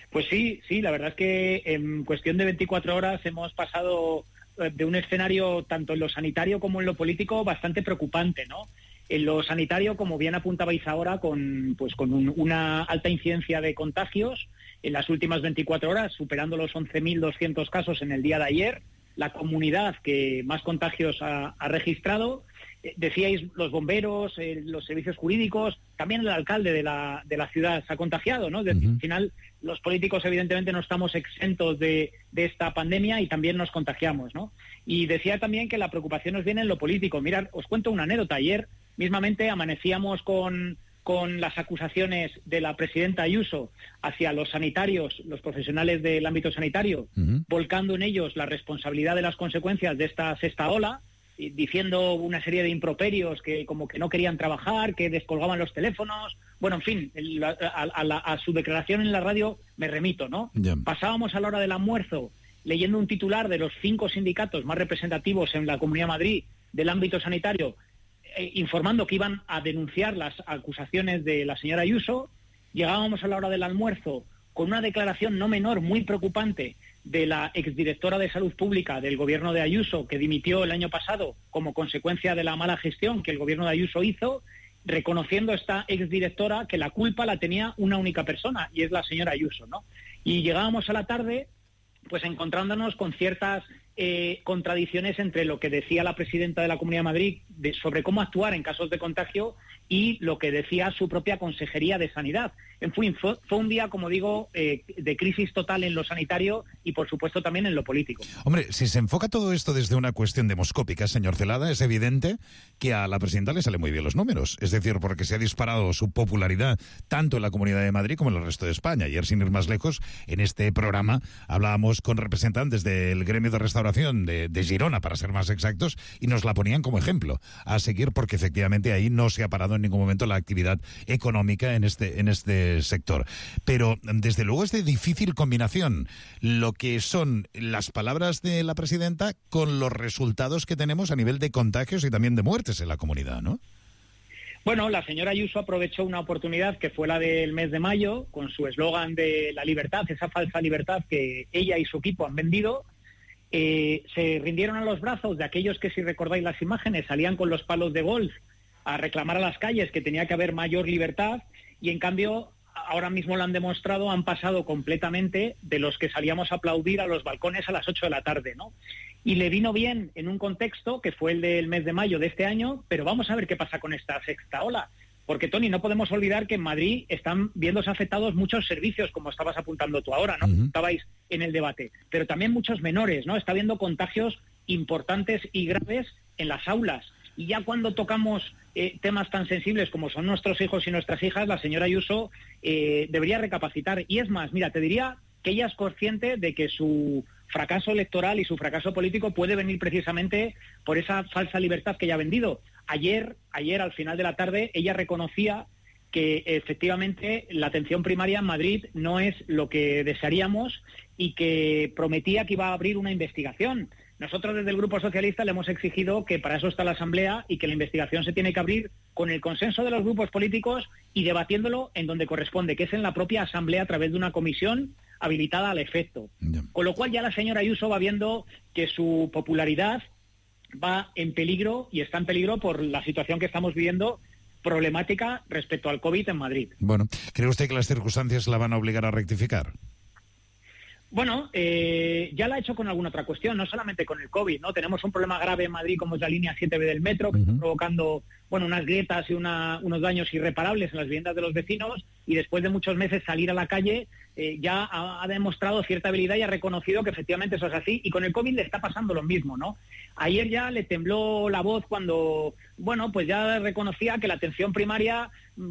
Pues sí, la verdad es que en cuestión de 24 horas hemos pasado de un escenario, tanto en lo sanitario como en lo político, bastante preocupante, ¿no? En lo sanitario, como bien apuntabais ahora, con una alta incidencia de contagios en las últimas 24 horas, superando los 11.200 casos en el día de ayer, la comunidad que más contagios ha registrado. Decíais los bomberos, los servicios jurídicos, también el alcalde de la ciudad se ha contagiado, ¿no? Al final, los políticos evidentemente no estamos exentos de esta pandemia y también nos contagiamos, ¿no? Y decía también que la preocupación nos viene en lo político. Mirad, os cuento una anécdota. Ayer mismamente amanecíamos con las acusaciones de la presidenta Ayuso hacia los sanitarios, los profesionales del ámbito sanitario, volcando en ellos la responsabilidad de las consecuencias de esta sexta ola, diciendo una serie de improperios, que como que no querían trabajar, que descolgaban los teléfonos. Bueno, en fin, a su declaración en la radio me remito, ¿no? Yeah. Pasábamos a la hora del almuerzo leyendo un titular de los 5 sindicatos más representativos en la Comunidad de Madrid del ámbito sanitario, informando que iban a denunciar las acusaciones de la señora Ayuso. Llegábamos a la hora del almuerzo con una declaración no menor, muy preocupante, de la exdirectora de Salud Pública del gobierno de Ayuso, que dimitió el año pasado como consecuencia de la mala gestión que el gobierno de Ayuso hizo, reconociendo esta exdirectora que la culpa la tenía una única persona, y es la señora Ayuso, ¿no? Y llegábamos a la tarde pues encontrándonos con ciertas contradicciones entre lo que decía la presidenta de la Comunidad de Madrid sobre cómo actuar en casos de contagio y lo que decía su propia Consejería de Sanidad. En fin, fue un día, como digo, de crisis total en lo sanitario y, por supuesto, también en lo político. Hombre, si se enfoca todo esto desde una cuestión demoscópica, señor Celada, es evidente que a la presidenta le salen muy bien los números. Es decir, porque se ha disparado su popularidad tanto en la Comunidad de Madrid como en el resto de España. Ayer, sin ir más lejos, en este programa hablábamos con representantes del gremio de restauración de Girona, para ser más exactos, y nos la ponían como ejemplo a seguir, porque efectivamente ahí no se ha parado en ningún momento la actividad económica en este sector. Pero desde luego es de difícil combinación lo que son las palabras de la presidenta con los resultados que tenemos a nivel de contagios y también de muertes en la comunidad, ¿no? Bueno, la señora Ayuso aprovechó una oportunidad que fue la del mes de mayo, con su eslogan de la libertad, esa falsa libertad que ella y su equipo han vendido. Se rindieron a los brazos de aquellos que, si recordáis las imágenes, salían con los palos de golf a reclamar a las calles que tenía que haber mayor libertad, y en cambio ahora mismo lo han demostrado, han pasado completamente de los que salíamos a aplaudir a los balcones a las 8 de la tarde, ¿no? Y le vino bien en un contexto que fue el del mes de mayo de este año, pero vamos a ver qué pasa con esta sexta ola. Porque, Tony, no podemos olvidar que en Madrid están viéndose afectados muchos servicios, como estabas apuntando tú ahora, ¿no? Estabais en el debate. Pero también muchos menores, ¿no? Está habiendo contagios importantes y graves en las aulas. Y ya cuando tocamos temas tan sensibles como son nuestros hijos y nuestras hijas, la señora Ayuso debería recapacitar. Y es más, mira, te diría que ella es consciente de que su fracaso electoral y su fracaso político puede venir precisamente por esa falsa libertad que ella ha vendido. Ayer, al final de la tarde, ella reconocía que efectivamente la atención primaria en Madrid no es lo que desearíamos y que prometía que iba a abrir una investigación. Nosotros desde el Grupo Socialista le hemos exigido que para eso está la Asamblea y que la investigación se tiene que abrir con el consenso de los grupos políticos y debatiéndolo en donde corresponde, que es en la propia Asamblea a través de una comisión habilitada al efecto. Con lo cual ya la señora Ayuso va viendo que su popularidad va en peligro y está en peligro por la situación que estamos viviendo problemática respecto al COVID en Madrid. Bueno, ¿cree usted que las circunstancias la van a obligar a rectificar? Bueno, ya la ha hecho con alguna otra cuestión, no solamente con el COVID, ¿no? Tenemos un problema grave en Madrid como es la línea 7B del metro, que está provocando, bueno, unas grietas y unos daños irreparables en las viviendas de los vecinos, y después de muchos meses salir a la calle ya ha demostrado cierta habilidad y ha reconocido que efectivamente eso es así, y con el COVID le está pasando lo mismo, ¿no? Ayer ya le tembló la voz cuando, bueno, pues ya reconocía que la atención primaria,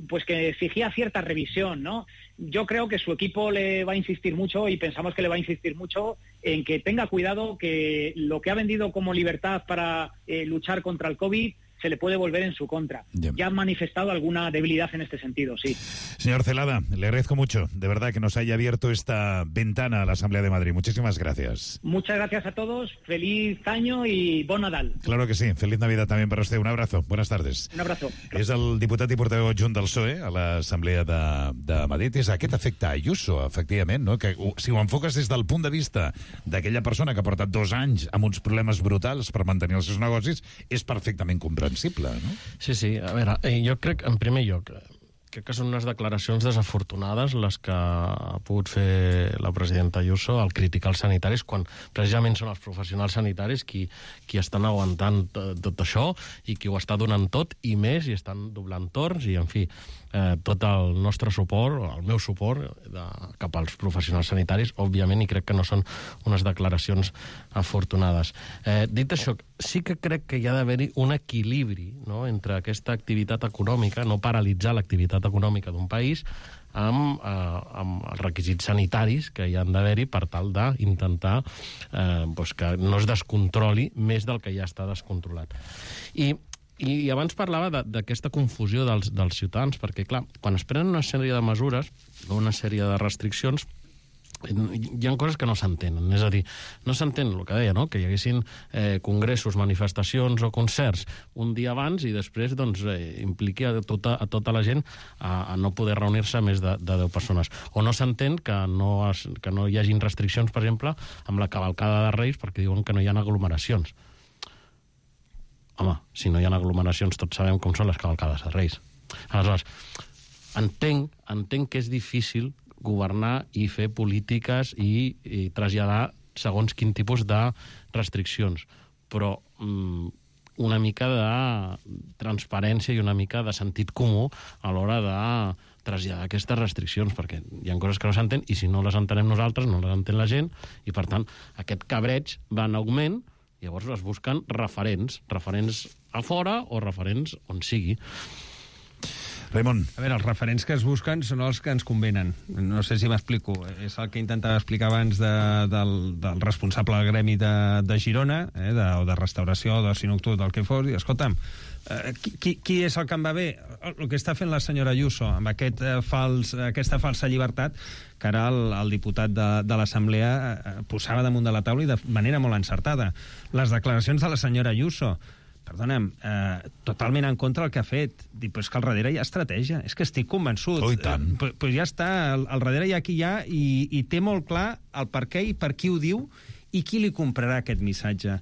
pues que exigía cierta revisión, ¿no? Yo creo que su equipo le va a insistir mucho, y pensamos que le va a insistir mucho en que tenga cuidado, que lo que ha vendido como libertad para luchar contra el COVID se le puede volver en su contra. Ya han manifestado alguna debilidad en este sentido, sí. Señor Celada, le agradezco mucho, de verdad, que nos haya abierto esta ventana a la Asamblea de Madrid. Muchísimas gracias. Muchas gracias a todos, feliz año y bon Nadal. Claro que sí, feliz Navidad también para usted. Un abrazo, buenas tardes. Un abrazo. És el diputat i portaveu adjunt del PSOE a l'Assemblea de Madrid. És aquest efecte Ayuso, efectivament, no? Que si ho enfoques des del punt de vista d'aquella persona que ha portat 2 anys amb uns problemes brutals per mantenir els seus negocis, és perfectament comprensible, no? Sí, sí. A veure, jo crec, en primer lloc, crec que són unes declaracions desafortunades les que ha pogut fer la presidenta Ayuso al criticar els sanitaris, quan precisament són els professionals sanitaris qui estan aguantant tot això i qui ho està donant tot i més, i estan doblant torns, i en fi, tot el nostre suport, el meu suport cap als professionals sanitaris, òbviament, i crec que no són unes declaracions afortunades. Dit això, sí que crec que hi ha d'haver-hi un equilibri, no?, entre aquesta activitat econòmica, no paralitzar l'activitat econòmica d'un país, amb els requisits sanitaris que hi han d'haver-hi per tal d'intentar que no es descontroli més del que ja està descontrolat. I abans parlava d'aquesta confusió dels ciutadans, perquè, clar, quan es prenen una sèrie de mesures, una sèrie de restriccions, hi ha coses que no s'entenen. És a dir, no s'entén el que deia, no? Que hi haguessin congressos, manifestacions o concerts un dia abans i després impliqui a tota la gent a no poder reunir-se més de 10 persones. O no s'entén que no hi hagin restriccions, per exemple, amb la cavalcada de Reis, perquè diuen que no hi ha aglomeracions. Home, si no hi ha aglomeracions, tots sabem com són les cavalcades de Reis. Aleshores, entenc que és difícil governar i fer polítiques i traslladar segons quin tipus de restriccions, però una mica de transparència i una mica de sentit comú a l'hora de traslladar aquestes restriccions, perquè hi ha coses que no s'entén i si no les entenem nosaltres, no les entén la gent, i per tant aquest cabreig va en augment. Llavors es busquen referents a fora o referents on sigui. Raimon. A veure, els referents que es busquen són els que ens convenen. No sé si m'explico. És el que intentava explicar abans del responsable del gremi de Girona, o de restauració, d'oci nocturn, del que fos, i escolta'm, qui és el que em va bé? El que està fent la senyora Ayuso amb aquesta falsa llibertat que ara el diputat de l'Assemblea posava damunt de la taula i de manera molt encertada. Les declaracions de la senyora Ayuso, perdona'm, totalment en contra del que ha fet. Dic, però és que al darrere hi ha estratègia. És que estic convençut. Oh, i tant. Però ja està, al darrere hi ha qui hi ha i té molt clar el per què i per qui ho diu i qui li comprarà aquest missatge.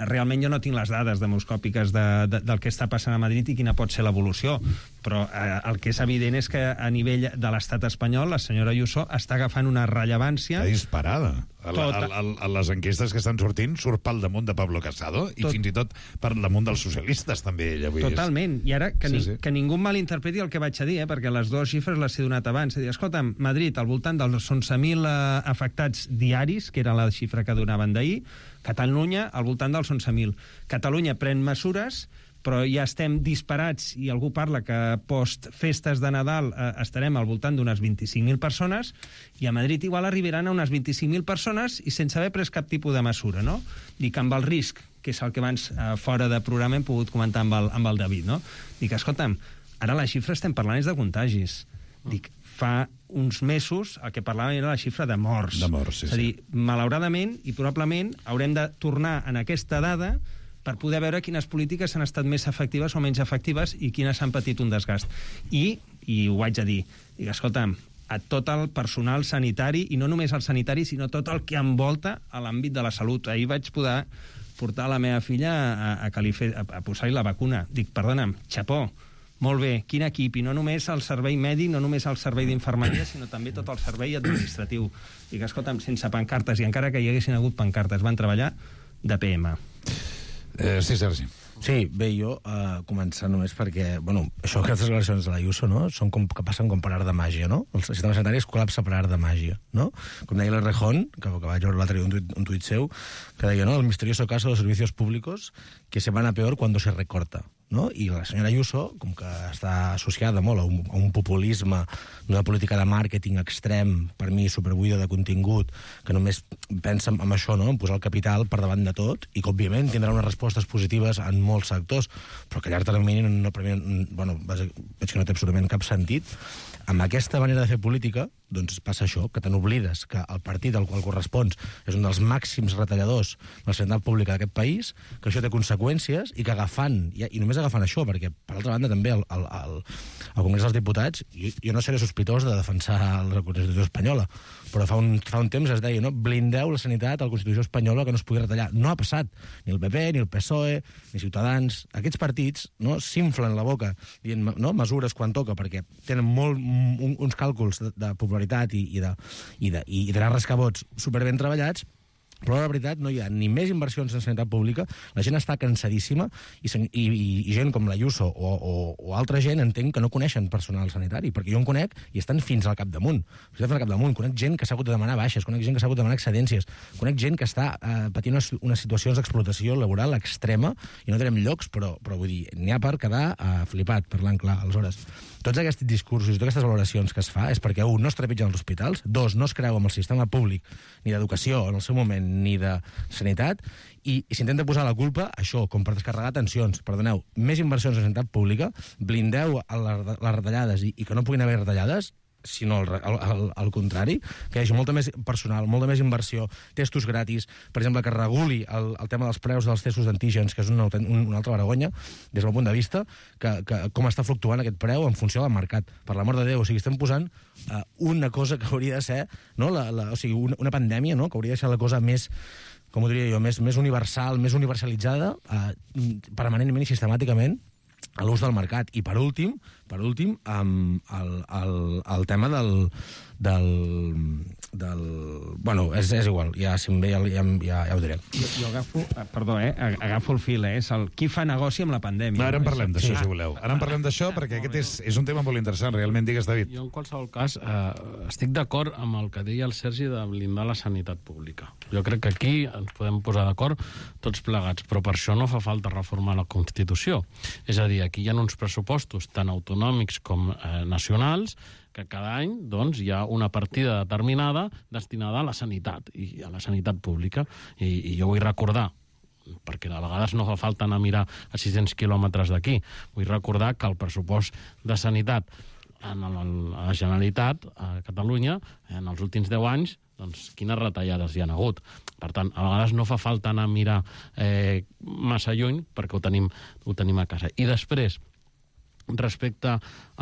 Realment jo no tinc les dades demoscòpiques del que està passant a Madrid i quina pot ser l'evolució, però el que és evident és que a nivell de l'estat espanyol la senyora Ayuso està agafant una rellevància... Està disparada. A les enquestes que estan sortint surt pel damunt de Pablo Casado i fins i tot per damunt dels socialistes també ella. Totalment. I ara que ningú malinterpreti el que vaig a dir, perquè les dues xifres les he donat abans. Escolta'm, Madrid, al voltant dels 11.000 afectats diaris, que era la xifra que donaven d'ahir, Catalunya, al voltant dels 11.000. Catalunya pren mesures, però ja estem disparats i algú parla que post-festes de Nadal estarem al voltant d'unes 25.000 persones i a Madrid igual arribaran a unes 25.000 persones i sense haver pres cap tipus de mesura, no? Dic, amb el risc, que és el que abans fora de programa hem pogut comentar amb el David, no? Dic, escolta'm, ara la xifra estem parlant és de contagis. Dic, fa uns mesos el que parlàvem era la xifra de morts. De morts, sí. És a dir, malauradament i probablement haurem de tornar en aquesta dada per poder veure quines polítiques han estat més efectives o menys efectives i quines han patit un desgast. I ho haig de dir, escolta'm, a tot el personal sanitari, i no només el sanitari, sinó tot el que envolta a l'àmbit de la salut. Ahir vaig poder portar la meva filla a posar-hi la vacuna. Dic, perdona'm, xapó, molt bé, quin equip, i no només el servei mèdic, no només el servei d'infermeria, sinó també tot el servei administratiu. Dic, escolta'm, sense pancartes, i encara que hi haguessin hagut pancartes, van treballar de PM. Sí, Sergi. Sí, bé, jo començar només perquè, bueno, això, aquestes declaracions de l'Ayuso, no?, són com que passen com per art de màgia, no? El sistema sanitari es col·lapsa per art de màgia, no? Com deia l'Errejón, que vaig veure l'altre dia un tuit seu, que deia, no?, el misterioso caso de los servicios públicos que se van a peor cuando se recorta, no? I la senyora Ayuso, com que està associada molt a un populisme, una política de màrqueting extrem, per mi superbuida de contingut, que només pensa en això, no?, en posar el capital per davant de tot, i que, òbviament, tindrà unes respostes positives en molts sectors, però que a llarg termini veig que no té absolutament cap sentit. Amb aquesta manera de fer política, doncs passa això, que te n'oblides que el partit al qual correspons és un dels màxims retalladors de la sanitat pública d'aquest país, que això té conseqüències i que agafant, i només agafant això, perquè per altra banda també al Congrés dels Diputats, jo no seré sospitós de defensar la Constitució espanyola, però fa un temps es deia, no?, blindeu la sanitat a la Constitució espanyola que no es pugui retallar. No ha passat. Ni el PP, ni el PSOE, ni Ciutadans. Aquests partits, no?, s'inflen la boca dient, no?, mesures quan toca, perquè tenen uns càlculs de popularitat i de rescabots superben treballats, però la veritat no hi ha ni més inversions en sanitat pública, la gent està cansadíssima i gent com l'Ayuso o altra gent entenc que no coneixen personal sanitari, perquè jo en conec i estan fins al capdamunt. Conec gent que s'ha hagut de demanar baixes, conec gent que s'ha hagut de demanar excedències, conec gent que està patint unes situacions d'explotació laboral extrema, i no tenim llocs, però vull dir, n'hi ha per quedar flipat, parlant clar. Aleshores, tots aquests discursos i totes aquestes valoracions que es fa és perquè, un, no es trepitgen els hospitals, dos, no es creu amb el sistema públic ni d'educació en el seu moment ni de sanitat, i s'intenta posar la culpa, això, com per descarregar tensions. Perdoneu, més inversions en sanitat pública, blindeu les retallades i que no puguin haver retallades, sinó al contrari, que hi hagi molta més personal, molta més inversió, testos gratis, per exemple, que reguli el tema dels preus dels testos d'antígens, que és una altra vergonya, des del punt de vista, que com està fluctuant aquest preu en funció del mercat. Per l'amor de Déu, o sigui, estem posant una cosa que hauria de ser, no? O sigui, una pandèmia, no? Que hauria de ser la cosa més, com ho diria jo, més universal, més universalitzada, permanentment i sistemàticament, a l'ús del mercat. I per últim, el tema del bueno, és igual, ja si em ve ja ho diré. Jo agafo, perdó, agafo el fil, és el qui fa negoci amb la pandèmia. Ara en parlem d'això, si voleu. Ara en parlem d'això, perquè aquest és un tema molt interessant, realment. Digues, David. Jo, en qualsevol cas, estic d'acord amb el que deia el Sergi de blindar la sanitat pública. Jo crec que aquí ens podem posar d'acord tots plegats, però per això no fa falta reformar la Constitució. És a dir, aquí hi ha uns pressupostos tant autonòmics com nacionals que cada any doncs, hi ha una partida determinada destinada a la sanitat i a la sanitat pública. I jo vull recordar, perquè de vegades no fa falta anar a mirar a 600 quilòmetres d'aquí, vull recordar que el pressupost de sanitat a la Generalitat, a Catalunya, en els últims 10 anys, doncs quines retallades hi ha hagut. Per tant, a vegades no fa falta anar a mirar massa lluny perquè ho tenim a casa. I després, respecte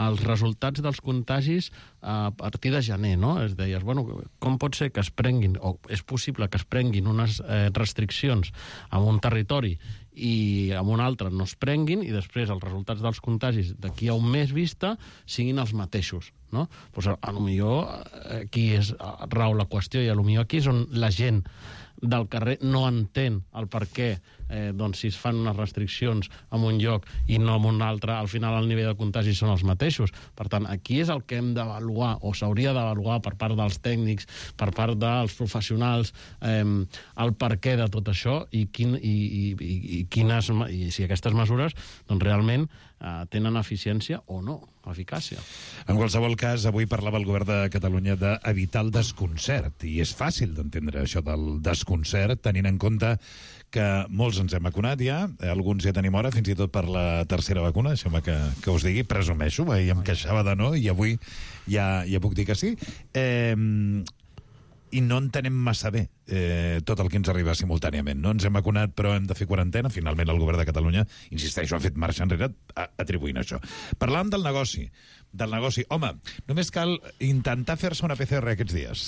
als resultats dels contagis a partir de gener, no? Es deies, bueno, com pot ser que es prenguin, o és possible que es prenguin unes restriccions en un territori i en un altre no es prenguin, i després els resultats dels contagis d'aquí a un mes vista siguin els mateixos, no? Pues potser aquí rau la qüestió, i potser aquí és on la gent del carrer no entén el per què doncs, si es fan unes restriccions en un lloc i no en un altre, al final el nivell de contagi són els mateixos. Per tant, aquí és el que hem d'avaluar, o s'hauria d'avaluar per part dels tècnics, per part dels professionals, el per què de tot això i si aquestes mesures doncs, realment tenen eficiència o no, eficàcia. En qualsevol cas, avui parlava el govern de Catalunya d'evitar el desconcert, i és fàcil d'entendre això del desconcert, tenint en compte que molts ens hem vacunat ja, alguns ja tenim hora, fins i tot per la tercera vacuna, deixeu-me que us digui, presumeixo, i em queixava de no, i avui ja puc dir que sí. I no entenem massa bé tot el que ens arriba simultàniament. No ens hem vacunat, però hem de fer quarantena. Finalment, el govern de Catalunya, insisteixo, ha fet marxa enrere atribuint això. Parlàvem del negoci. Home, només cal intentar fer-se una PCR aquests dies.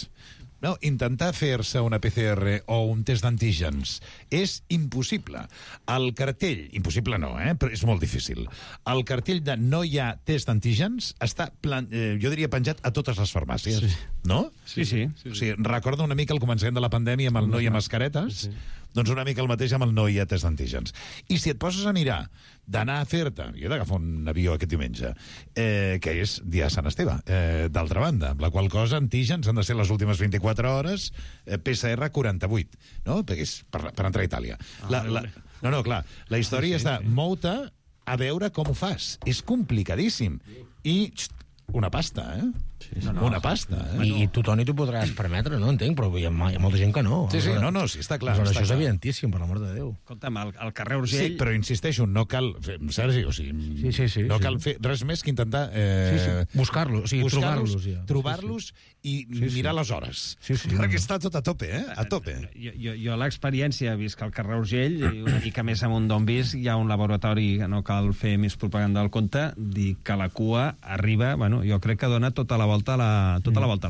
No, intentar fer-se una PCR o un test d'antígens és impossible. El cartell, impossible no, però és molt difícil. El cartell de no hi ha test d'antígens està, jo diria, penjat a totes les farmàcies, no? Sí. O sigui, recordo una mica el començament de la pandèmia amb el no hi ha mascaretes, doncs una mica el mateix amb el no hi ha test d'antígens. I si et poses a mirar d'anar a fer-te, jo he d'agafar un avió aquest diumenge, que és dia de Sant Esteve, d'altra banda, amb la qual cosa antígens han de ser les últimes 24 hores, PCR 48, no? Perquè és per entrar a Itàlia. Clar, la història és de mou-te a veure com ho fas. És complicadíssim. I una pasta, una pasta. I tu, Toni, t'ho podràs permetre, no? Entenc, però hi ha molta gent que no. Sí, sí, està clar. Això és evidentíssim, per l'amor de Déu. Escolta'm, al carrer Urgell... Sí, però insisteixo, no cal... Sergi, o sigui... No cal fer res més que intentar... Buscar-los, o sigui, trobar-los. Trobar-los i mirar les hores. Perquè està tot a tope, a tope. Jo l'experiència, vist que al carrer Urgell, i una mica més amunt d'on vist, hi ha un laboratori, que no cal fer més propaganda del compte, dir que la cua arriba, bueno, jo crec que dona tota la volta a la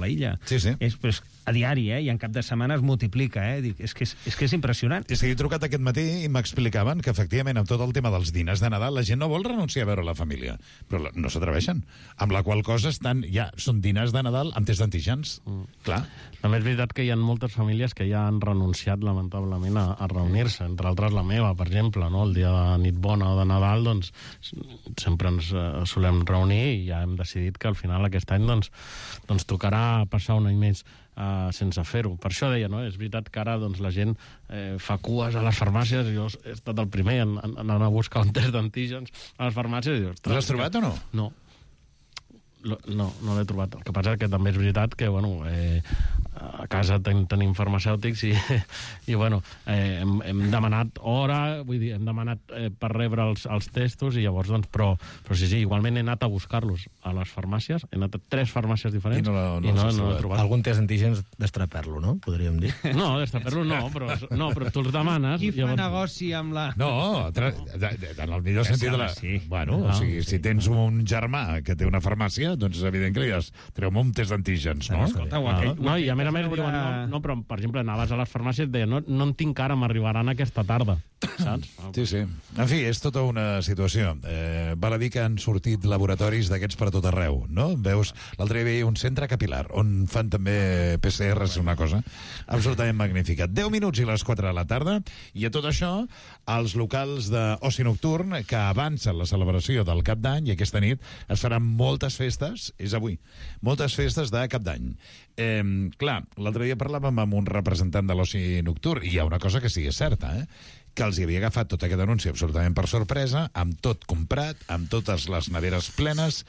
illa. Sí. Però és a diari, i en cap de setmana es multiplica, Dic, és que és impressionant. És que he trucat aquest matí i m'explicaven que, efectivament, amb tot el tema dels diners de Nadal, la gent no vol renunciar a veure la família, però no s'atreveixen. Amb la qual cosa són diners de Nadal amb test d'antígens. Clar. També és veritat que hi ha moltes famílies que ja han renunciat, lamentablement, a reunir-se, entre altres la meva, per exemple, no? El dia de nit bona o de Nadal, doncs, sempre ens solem reunir i ja hem decidit que al final aquest any doncs tocarà passar un any més sense fer-ho. Per això deia, no? És veritat que ara doncs, la gent fa cues a les farmàcies. Jo he estat el primer en anar a buscar un test d'antígens a les farmàcies. I dius, l'has trobat o no? No. No l'he trobat. El que passa és que també és veritat que, bueno, a casa tenim farmacèutics i bueno, hem demanat hora, vull dir, hem demanat per rebre els testos i llavors, doncs, però sí, igualment he anat a buscar-los a les farmàcies, he anat a 3 farmàcies diferents i no he trobat. Algun test d'antígens d'estraper-lo, no? Podríem dir. No, d'estraper-lo no, però tu els demanes... Qui fa negoci amb la... No, en el millor sentit de la... Bueno, o sigui, si tens un germà que té una farmàcia, doncs és evident que li has treu-me un test d'antígens, no? No, i a més diuen, no, però, per exemple, anaves a les farmàcies i et deien, no en tinc ara, m'arribaran aquesta tarda, saps? Sí. En fi, és tota una situació. Val a dir que han sortit laboratoris d'aquests per tot arreu, no? Veus, l'altre dia hi havia un centre capilar on fan també PCRs, una cosa absolutament magnífica. 10 minuts i les 4 de la tarda, i a tot això, els locals d'oci nocturn que avancen la celebració del Cap d'Any, i aquesta nit es faran moltes festes, és avui, moltes festes de Cap d'Any. Clar, l'altre dia parlàvem amb un representant de l'oci nocturn, i hi ha una cosa que sí és certa, que els hi havia agafat tot aquest anunci absolutament per sorpresa, amb tot comprat, amb totes les neveres plenes.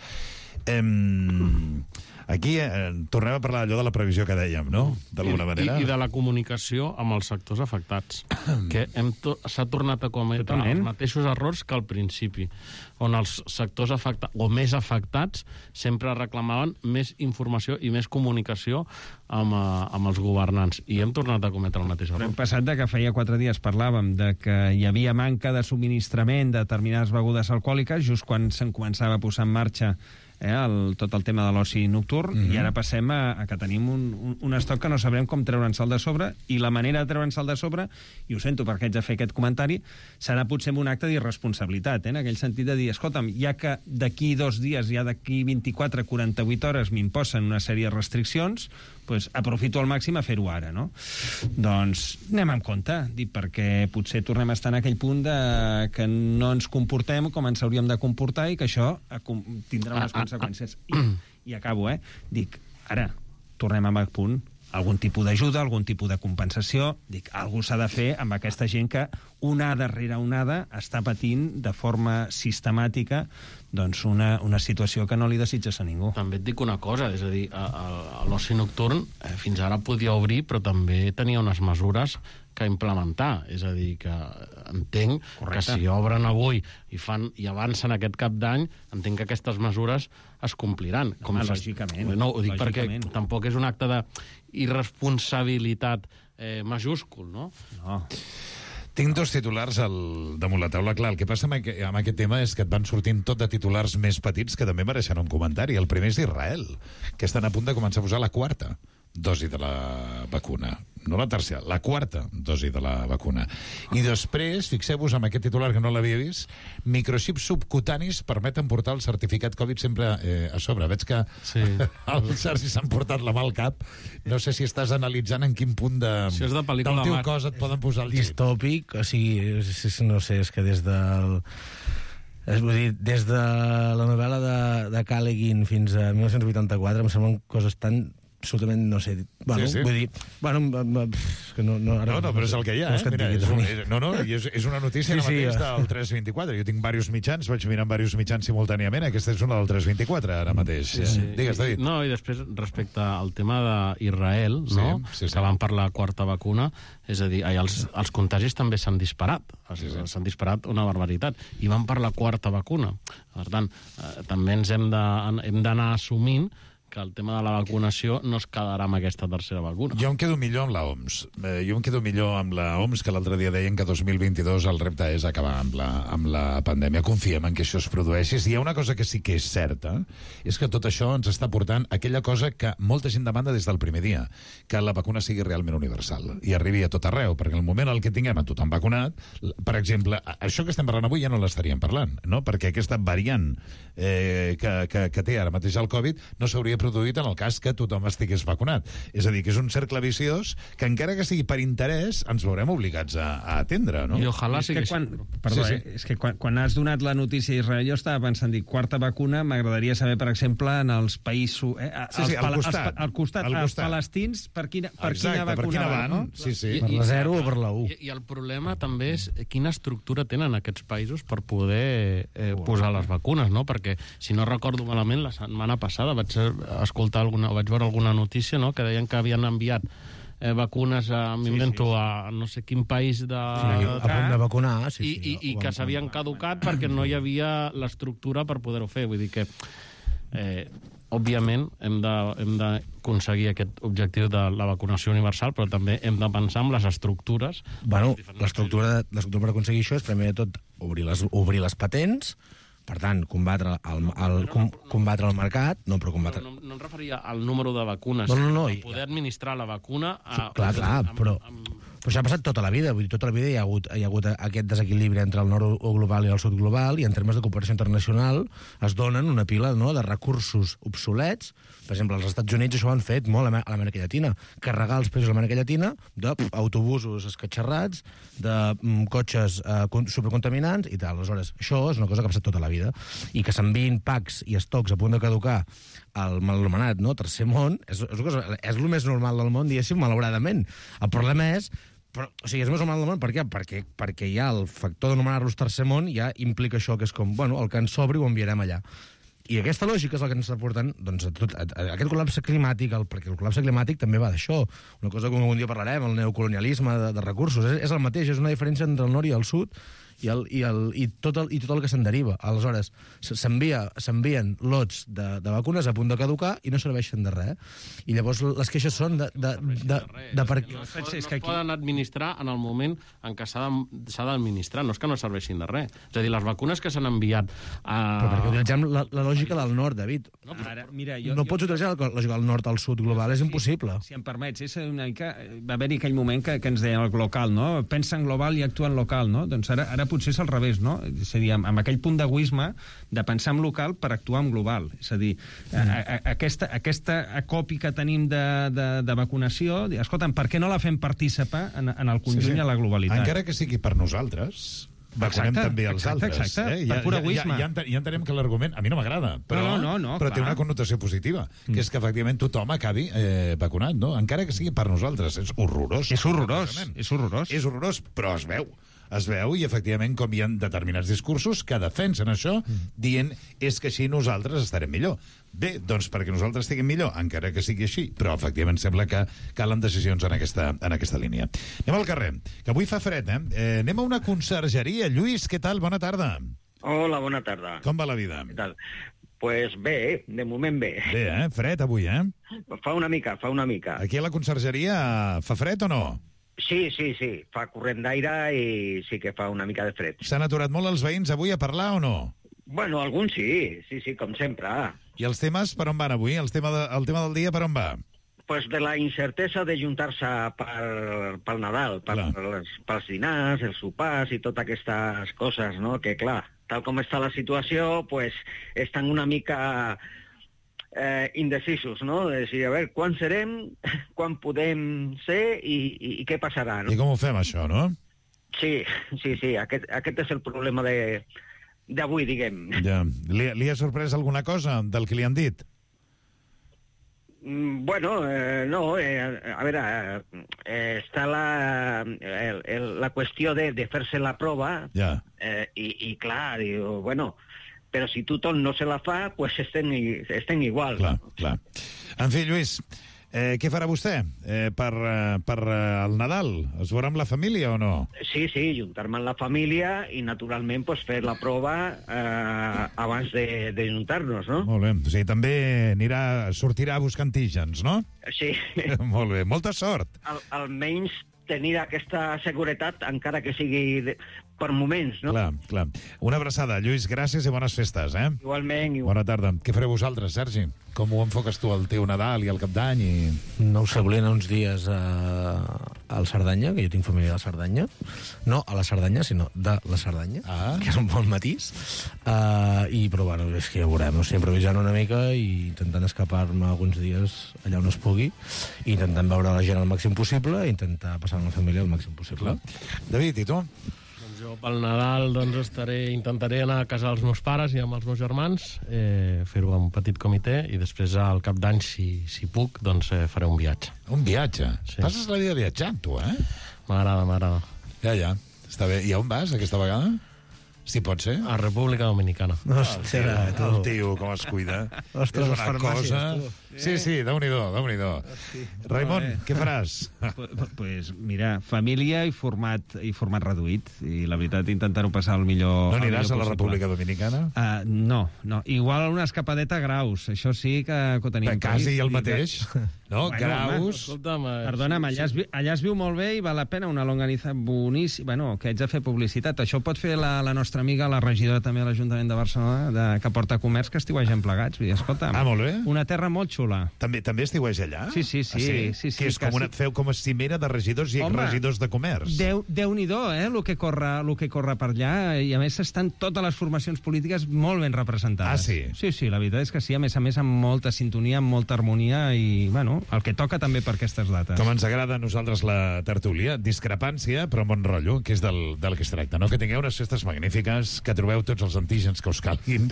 Aquí tornem a parlar allò de la previsió que dèiem, no? D'alguna manera. I de la comunicació amb els sectors afectats, que s'ha tornat a cometre els mateixos errors que al principi, on els sectors afectats, o més afectats, sempre reclamaven més informació i més comunicació amb els governants. I hem tornat a cometre el mateix error. Hem passat de que feia 4 dies parlàvem de que hi havia manca de subministrament de determinades begudes alcohòliques, just quan se'n començava a posar en marxa tot el tema de l'oci nocturn, i ara passem a que tenim un estoc que no sabrem com treure'ns-el de sobre, i la manera de treure'ns-el de sobre, i ho sento perquè haig de fer aquest comentari, serà potser un acte d'irresponsabilitat, en aquell sentit de dir, escolta'm, ja que d'aquí 2 dies, ja d'aquí 24, 48 hores m'imposen una sèrie de restriccions, doncs aprofito al màxim a fer-ho ara, no? Doncs anem amb compte, perquè potser tornem a estar en aquell punt que no ens comportem com ens hauríem de comportar i que això tindrà unes conseqüències. I acabo, dic, ara, tornem amb el punt, algun tipus d'ajuda, algun tipus de compensació, dic, algú s'ha de fer amb aquesta gent que onada rere onada està patint de forma sistemàtica doncs una situació que no li desitges a ningú. També et dic una cosa, és a dir, l'oci nocturn fins ara podia obrir, però també tenia unes mesures que implementar, és a dir, que entenc que si obren avui i avancen aquest Cap d'Any, entenc que aquestes mesures es compliran. Lògicament. No, ho dic perquè tampoc és un acte d'irresponsabilitat majúscul, no? No. Tinc 2 titulars damunt la taula. Clar, el que passa amb aquest tema és que et van sortint tot de titulars més petits que també mereixen un comentari. El primer és d'Israel, que estan a punt de començar a posar la 4ª dosi de la vacuna. No la tercera, la 4ª dosi de la vacuna. I després, fixeu-vos amb aquest titular que no l'havia vist, microxips subcutanis permeten portar el certificat Covid sempre a sobre. Veig que el Sergi s'han portat la mà al cap. No sé si estàs analitzant en quin punt del teu cos et poden posar el xip. Distòpic, o sigui, no sé, és que des del... Vull dir, des de la novel·la de Callaghan fins a 1984 em semblen coses tan absolutament, no sé, bueno, vull dir, bueno, que no, però és el que hi ha, mira, és una notícia ara mateix del 324, jo tinc diversos mitjans, vaig mirant diversos mitjans simultàniament, aquesta és una del 324 ara mateix. Digues, David. No, i després, respecte al tema d'Israel, no? Que van per la 4ª vacuna, és a dir, els contagis també s'han disparat, s'han disparat una barbaritat, i van per la 4ª vacuna. Per tant, també ens hem d'anar assumint que el tema de la vacunació no es quedarà amb aquesta 3ª vacuna. Jo em quedo millor amb l'OMS. Que l'altre dia deien que 2022 el repte és acabar amb la pandèmia. Confiem en que això es produeixi. I hi ha una cosa que sí que és certa, és que tot això ens està portant aquella cosa que molta gent demanda des del primer dia, que la vacuna sigui realment universal i arribi a tot arreu, perquè en el moment en què tinguem a tothom vacunat, per exemple, això que estem parlant avui ja no l'estaríem parlant, no? Perquè aquesta variant que té ara mateix el Covid no s'hauria produït en el cas que tothom estigués vacunat. És a dir, que és un cercle viciós que encara que sigui per interès ens veurem obligats a atendre, no? I ojalà sigui és que quan has donat la notícia a Israel jo estava pensant, dic, 4ª vacuna, m'agradaria saber, per exemple, en els països... al costat, els palestins, per quina vacuna van? Per la 0 o per la 1. I el problema també és quina estructura tenen aquests països per poder posar les vacunes, no? Perquè, si no recordo malament, la setmana passada vaig escoltar vaig veure alguna notícia, no?, que deien que havien enviat vacunes m'invento a no sé quin país a punt de vacunar, i que s'havien caducat perquè no hi havia l'estructura per poder-ho fer. Vull dir que òbviament hem d'aconseguir aquest objectiu de la vacunació universal, però també hem de pensar en les estructures. Bueno, l'estructura per aconseguir això és primer de tot obrir les patents, per tant, combatre el mercat, no, però combatre... No em referia al número de vacunes, poder administrar la vacuna... Clar, però això ha passat tota la vida. Vull dir, tota la vida hi ha hagut aquest desequilibri entre el nord global i el sud global, i en termes de cooperació internacional es donen una pila de recursos obsolets. Per exemple, els Estats Units això ho han fet molt a l'Amèrica Llatina. Carregar els països de l'Amèrica Llatina d'autobusos escatxarrats, de cotxes supercontaminants i tal. Aleshores, això és una cosa que ha passat tota la vida. I que s'enviïn packs i estocs a punt de caducar al mal anomenat tercer món és el més normal del món, diguéssim, malauradament. El problema és... és més normal del món, per què? Perquè ja el factor d'anomenar-los tercer món ja implica això, que és com, el que ens sobri ho enviarem allà. I aquesta lògica és el que ens està portant a aquest col·lapse climàtic, perquè el col·lapse climàtic també va d'això. Una cosa que un dia parlarem, el neocolonialisme de recursos. És el mateix, és una diferència entre el nord i el sud i tot el que se'n deriva. Aleshores, s'envien lots de vacunes a punt de caducar i no serveixen de res. I llavors les queixes són de per què... No es poden administrar en el moment en què s'ha d'administrar, no és que no serveixin de res. És a dir, les vacunes que s'han enviat... Però perquè utilitzem la lògica del nord, David. No pots utilitzar la lògica del nord al sud global, és impossible. Si em permets, va haver-hi aquell moment que ens deien el local, no? Pensa en global i actua en local, no? Doncs ara potser és al revés, no? És a dir, amb aquell punt d'egoisme de pensar en local per actuar en global. És a dir, aquesta acopi que tenim de vacunació, escolta'm, per què no la fem participar en el conjunt i a la globalitat? Encara que sigui per nosaltres, vacunem també els altres. Exacte, per pur egoisme. Ja entenem que l'argument, a mi no m'agrada, però té una connotació positiva, que és que efectivament tothom acabi vacunat, no? Encara que sigui per nosaltres. És horrorós. És horrorós, però es veu i efectivament com hi ha determinats discursos que defensen això dient és que així nosaltres estarem millor. Bé, doncs perquè nosaltres estiguem millor, encara que sigui així, però efectivament sembla que calen decisions en aquesta línia. Anem al carrer, que avui fa fred, anem a una consergeria. Lluís, què tal? Bona tarda. Hola, bona tarda. Com va la vida? Què tal? Pues bé, de moment bé. Bé, fred avui, Fa una mica. Aquí a la consergeria fa fred o no? Sí, fa corrent d'aire i sí que fa una mica de fred. S'han aturat molt els veïns avui a parlar o no? Bueno, alguns sí, com sempre. I els temes per on van avui? El tema del dia per on va? Pues de la incertesa de juntar-se pel Nadal, pels dinars, els sopars i totes aquestes coses, no? Que clar, tal com està la situació, pues estan una mica... indecisos, no? De dir, a veure, quan serem, quan podem ser i què passarà, no? I com ho fem, això, no? Sí, aquest és el problema d'avui, diguem. Ja. Li ha sorprès alguna cosa del que li han dit? Bueno, no, a veure, està la qüestió de fer-se la prova i clar, diu, bueno... Però si tothom no se la fa, pues estem igual. Clar. En fi, Lluís, què farà vostè per el Nadal? Es veurà amb la família o no? Sí, juntar-me amb la família i, naturalment, pues, fer la prova abans de juntar-nos, no? Molt bé. O sigui, també sortirà a buscar antígens, no? Sí. Molt bé. Molta sort. Almenys tenir aquesta seguretat, encara que sigui per moments, no? Clar. Una abraçada, Lluís, gràcies i bones festes, Igualment. Bona tarda. Què fareu vosaltres, Sergi? Com ho enfoques tu al teu Nadal i al Cap d'Any? No ho sé, volien uns dies al Cerdanya, que jo tinc família de Cerdanya. No a la Cerdanya, sinó de la Cerdanya, que és un bon matís. Però, bueno, és que ja veurem. O sigui, improvisant una mica i intentant escapar-me alguns dies allà on es pugui, i intentant veure la gent el màxim possible i intentar passar amb la família el màxim possible. David, i tu? Jo pel Nadal intentaré anar a casa dels meus pares i amb els meus germans, fer-ho amb un petit comitè, i després al Cap d'Any, si puc, doncs faré un viatge. Un viatge? Sí. Passes la vida viatjant, tu, M'agrada. Ja. Està bé. I on vas, aquesta vegada? Si pot ser. A República Dominicana. Hòstia, tu. El tio, com es cuida. Ostres, és les una farmàcies, cosa... tu. Sí, Déu-n'hi-do. Raimon, què faràs? Pues mira, família i format reduït. I la veritat, intentar-ho passar el millor... No aniràs a la possible. República Dominicana? No. Igual una escapadeta a Graus. Això sí que ho tenim. Quasi el mateix. No, Bueno, Graus... Perdona'm, allà es viu molt bé i val la pena una longaniza boníssima. Bueno, que haig de fer publicitat. Això pot fer la nostra amiga, la regidora també de l'Ajuntament de Barcelona, que porta comerç, que estiuegem plegats. Vull dir, escolta, molt bé. Una terra molt xula. També estiueix allà? Sí. Que és com feu com a cimera de regidors i regidors de comerç. Déu-n'hi-do, el que corre per allà, i a més estan totes les formacions polítiques molt ben representades. Sí, la veritat és que sí, a més amb molta sintonia, amb molta harmonia i, bueno, el que toca també per aquestes dates. Com ens agrada a nosaltres la tertúlia, discrepància, però bon rotllo, que és del que es tracta, no? Que tingueu unes festes magnífiques, que trobeu tots els antígens que us calguin.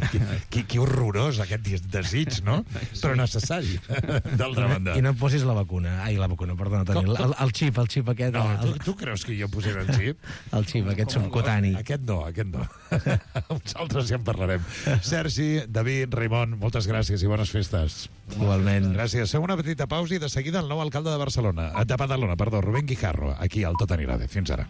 Que horrorós aquest desig, no? Sí. Però necessari, d'altra banda. I no et posis la vacuna. Ai, la vacuna, perdona, Toni. El xip aquest. No, tu creus que jo posaré el xip? El xip, aquest subcutani. Aquest no. Uns altres ja en parlarem. Sergi, David, Raimon, moltes gràcies i bones festes. Igualment. Gràcies. Fem una petita pausa i de seguida el nou alcalde de Badalona, perdó, Rubén Guijarro, aquí al Tot anirà bé. Fins ara.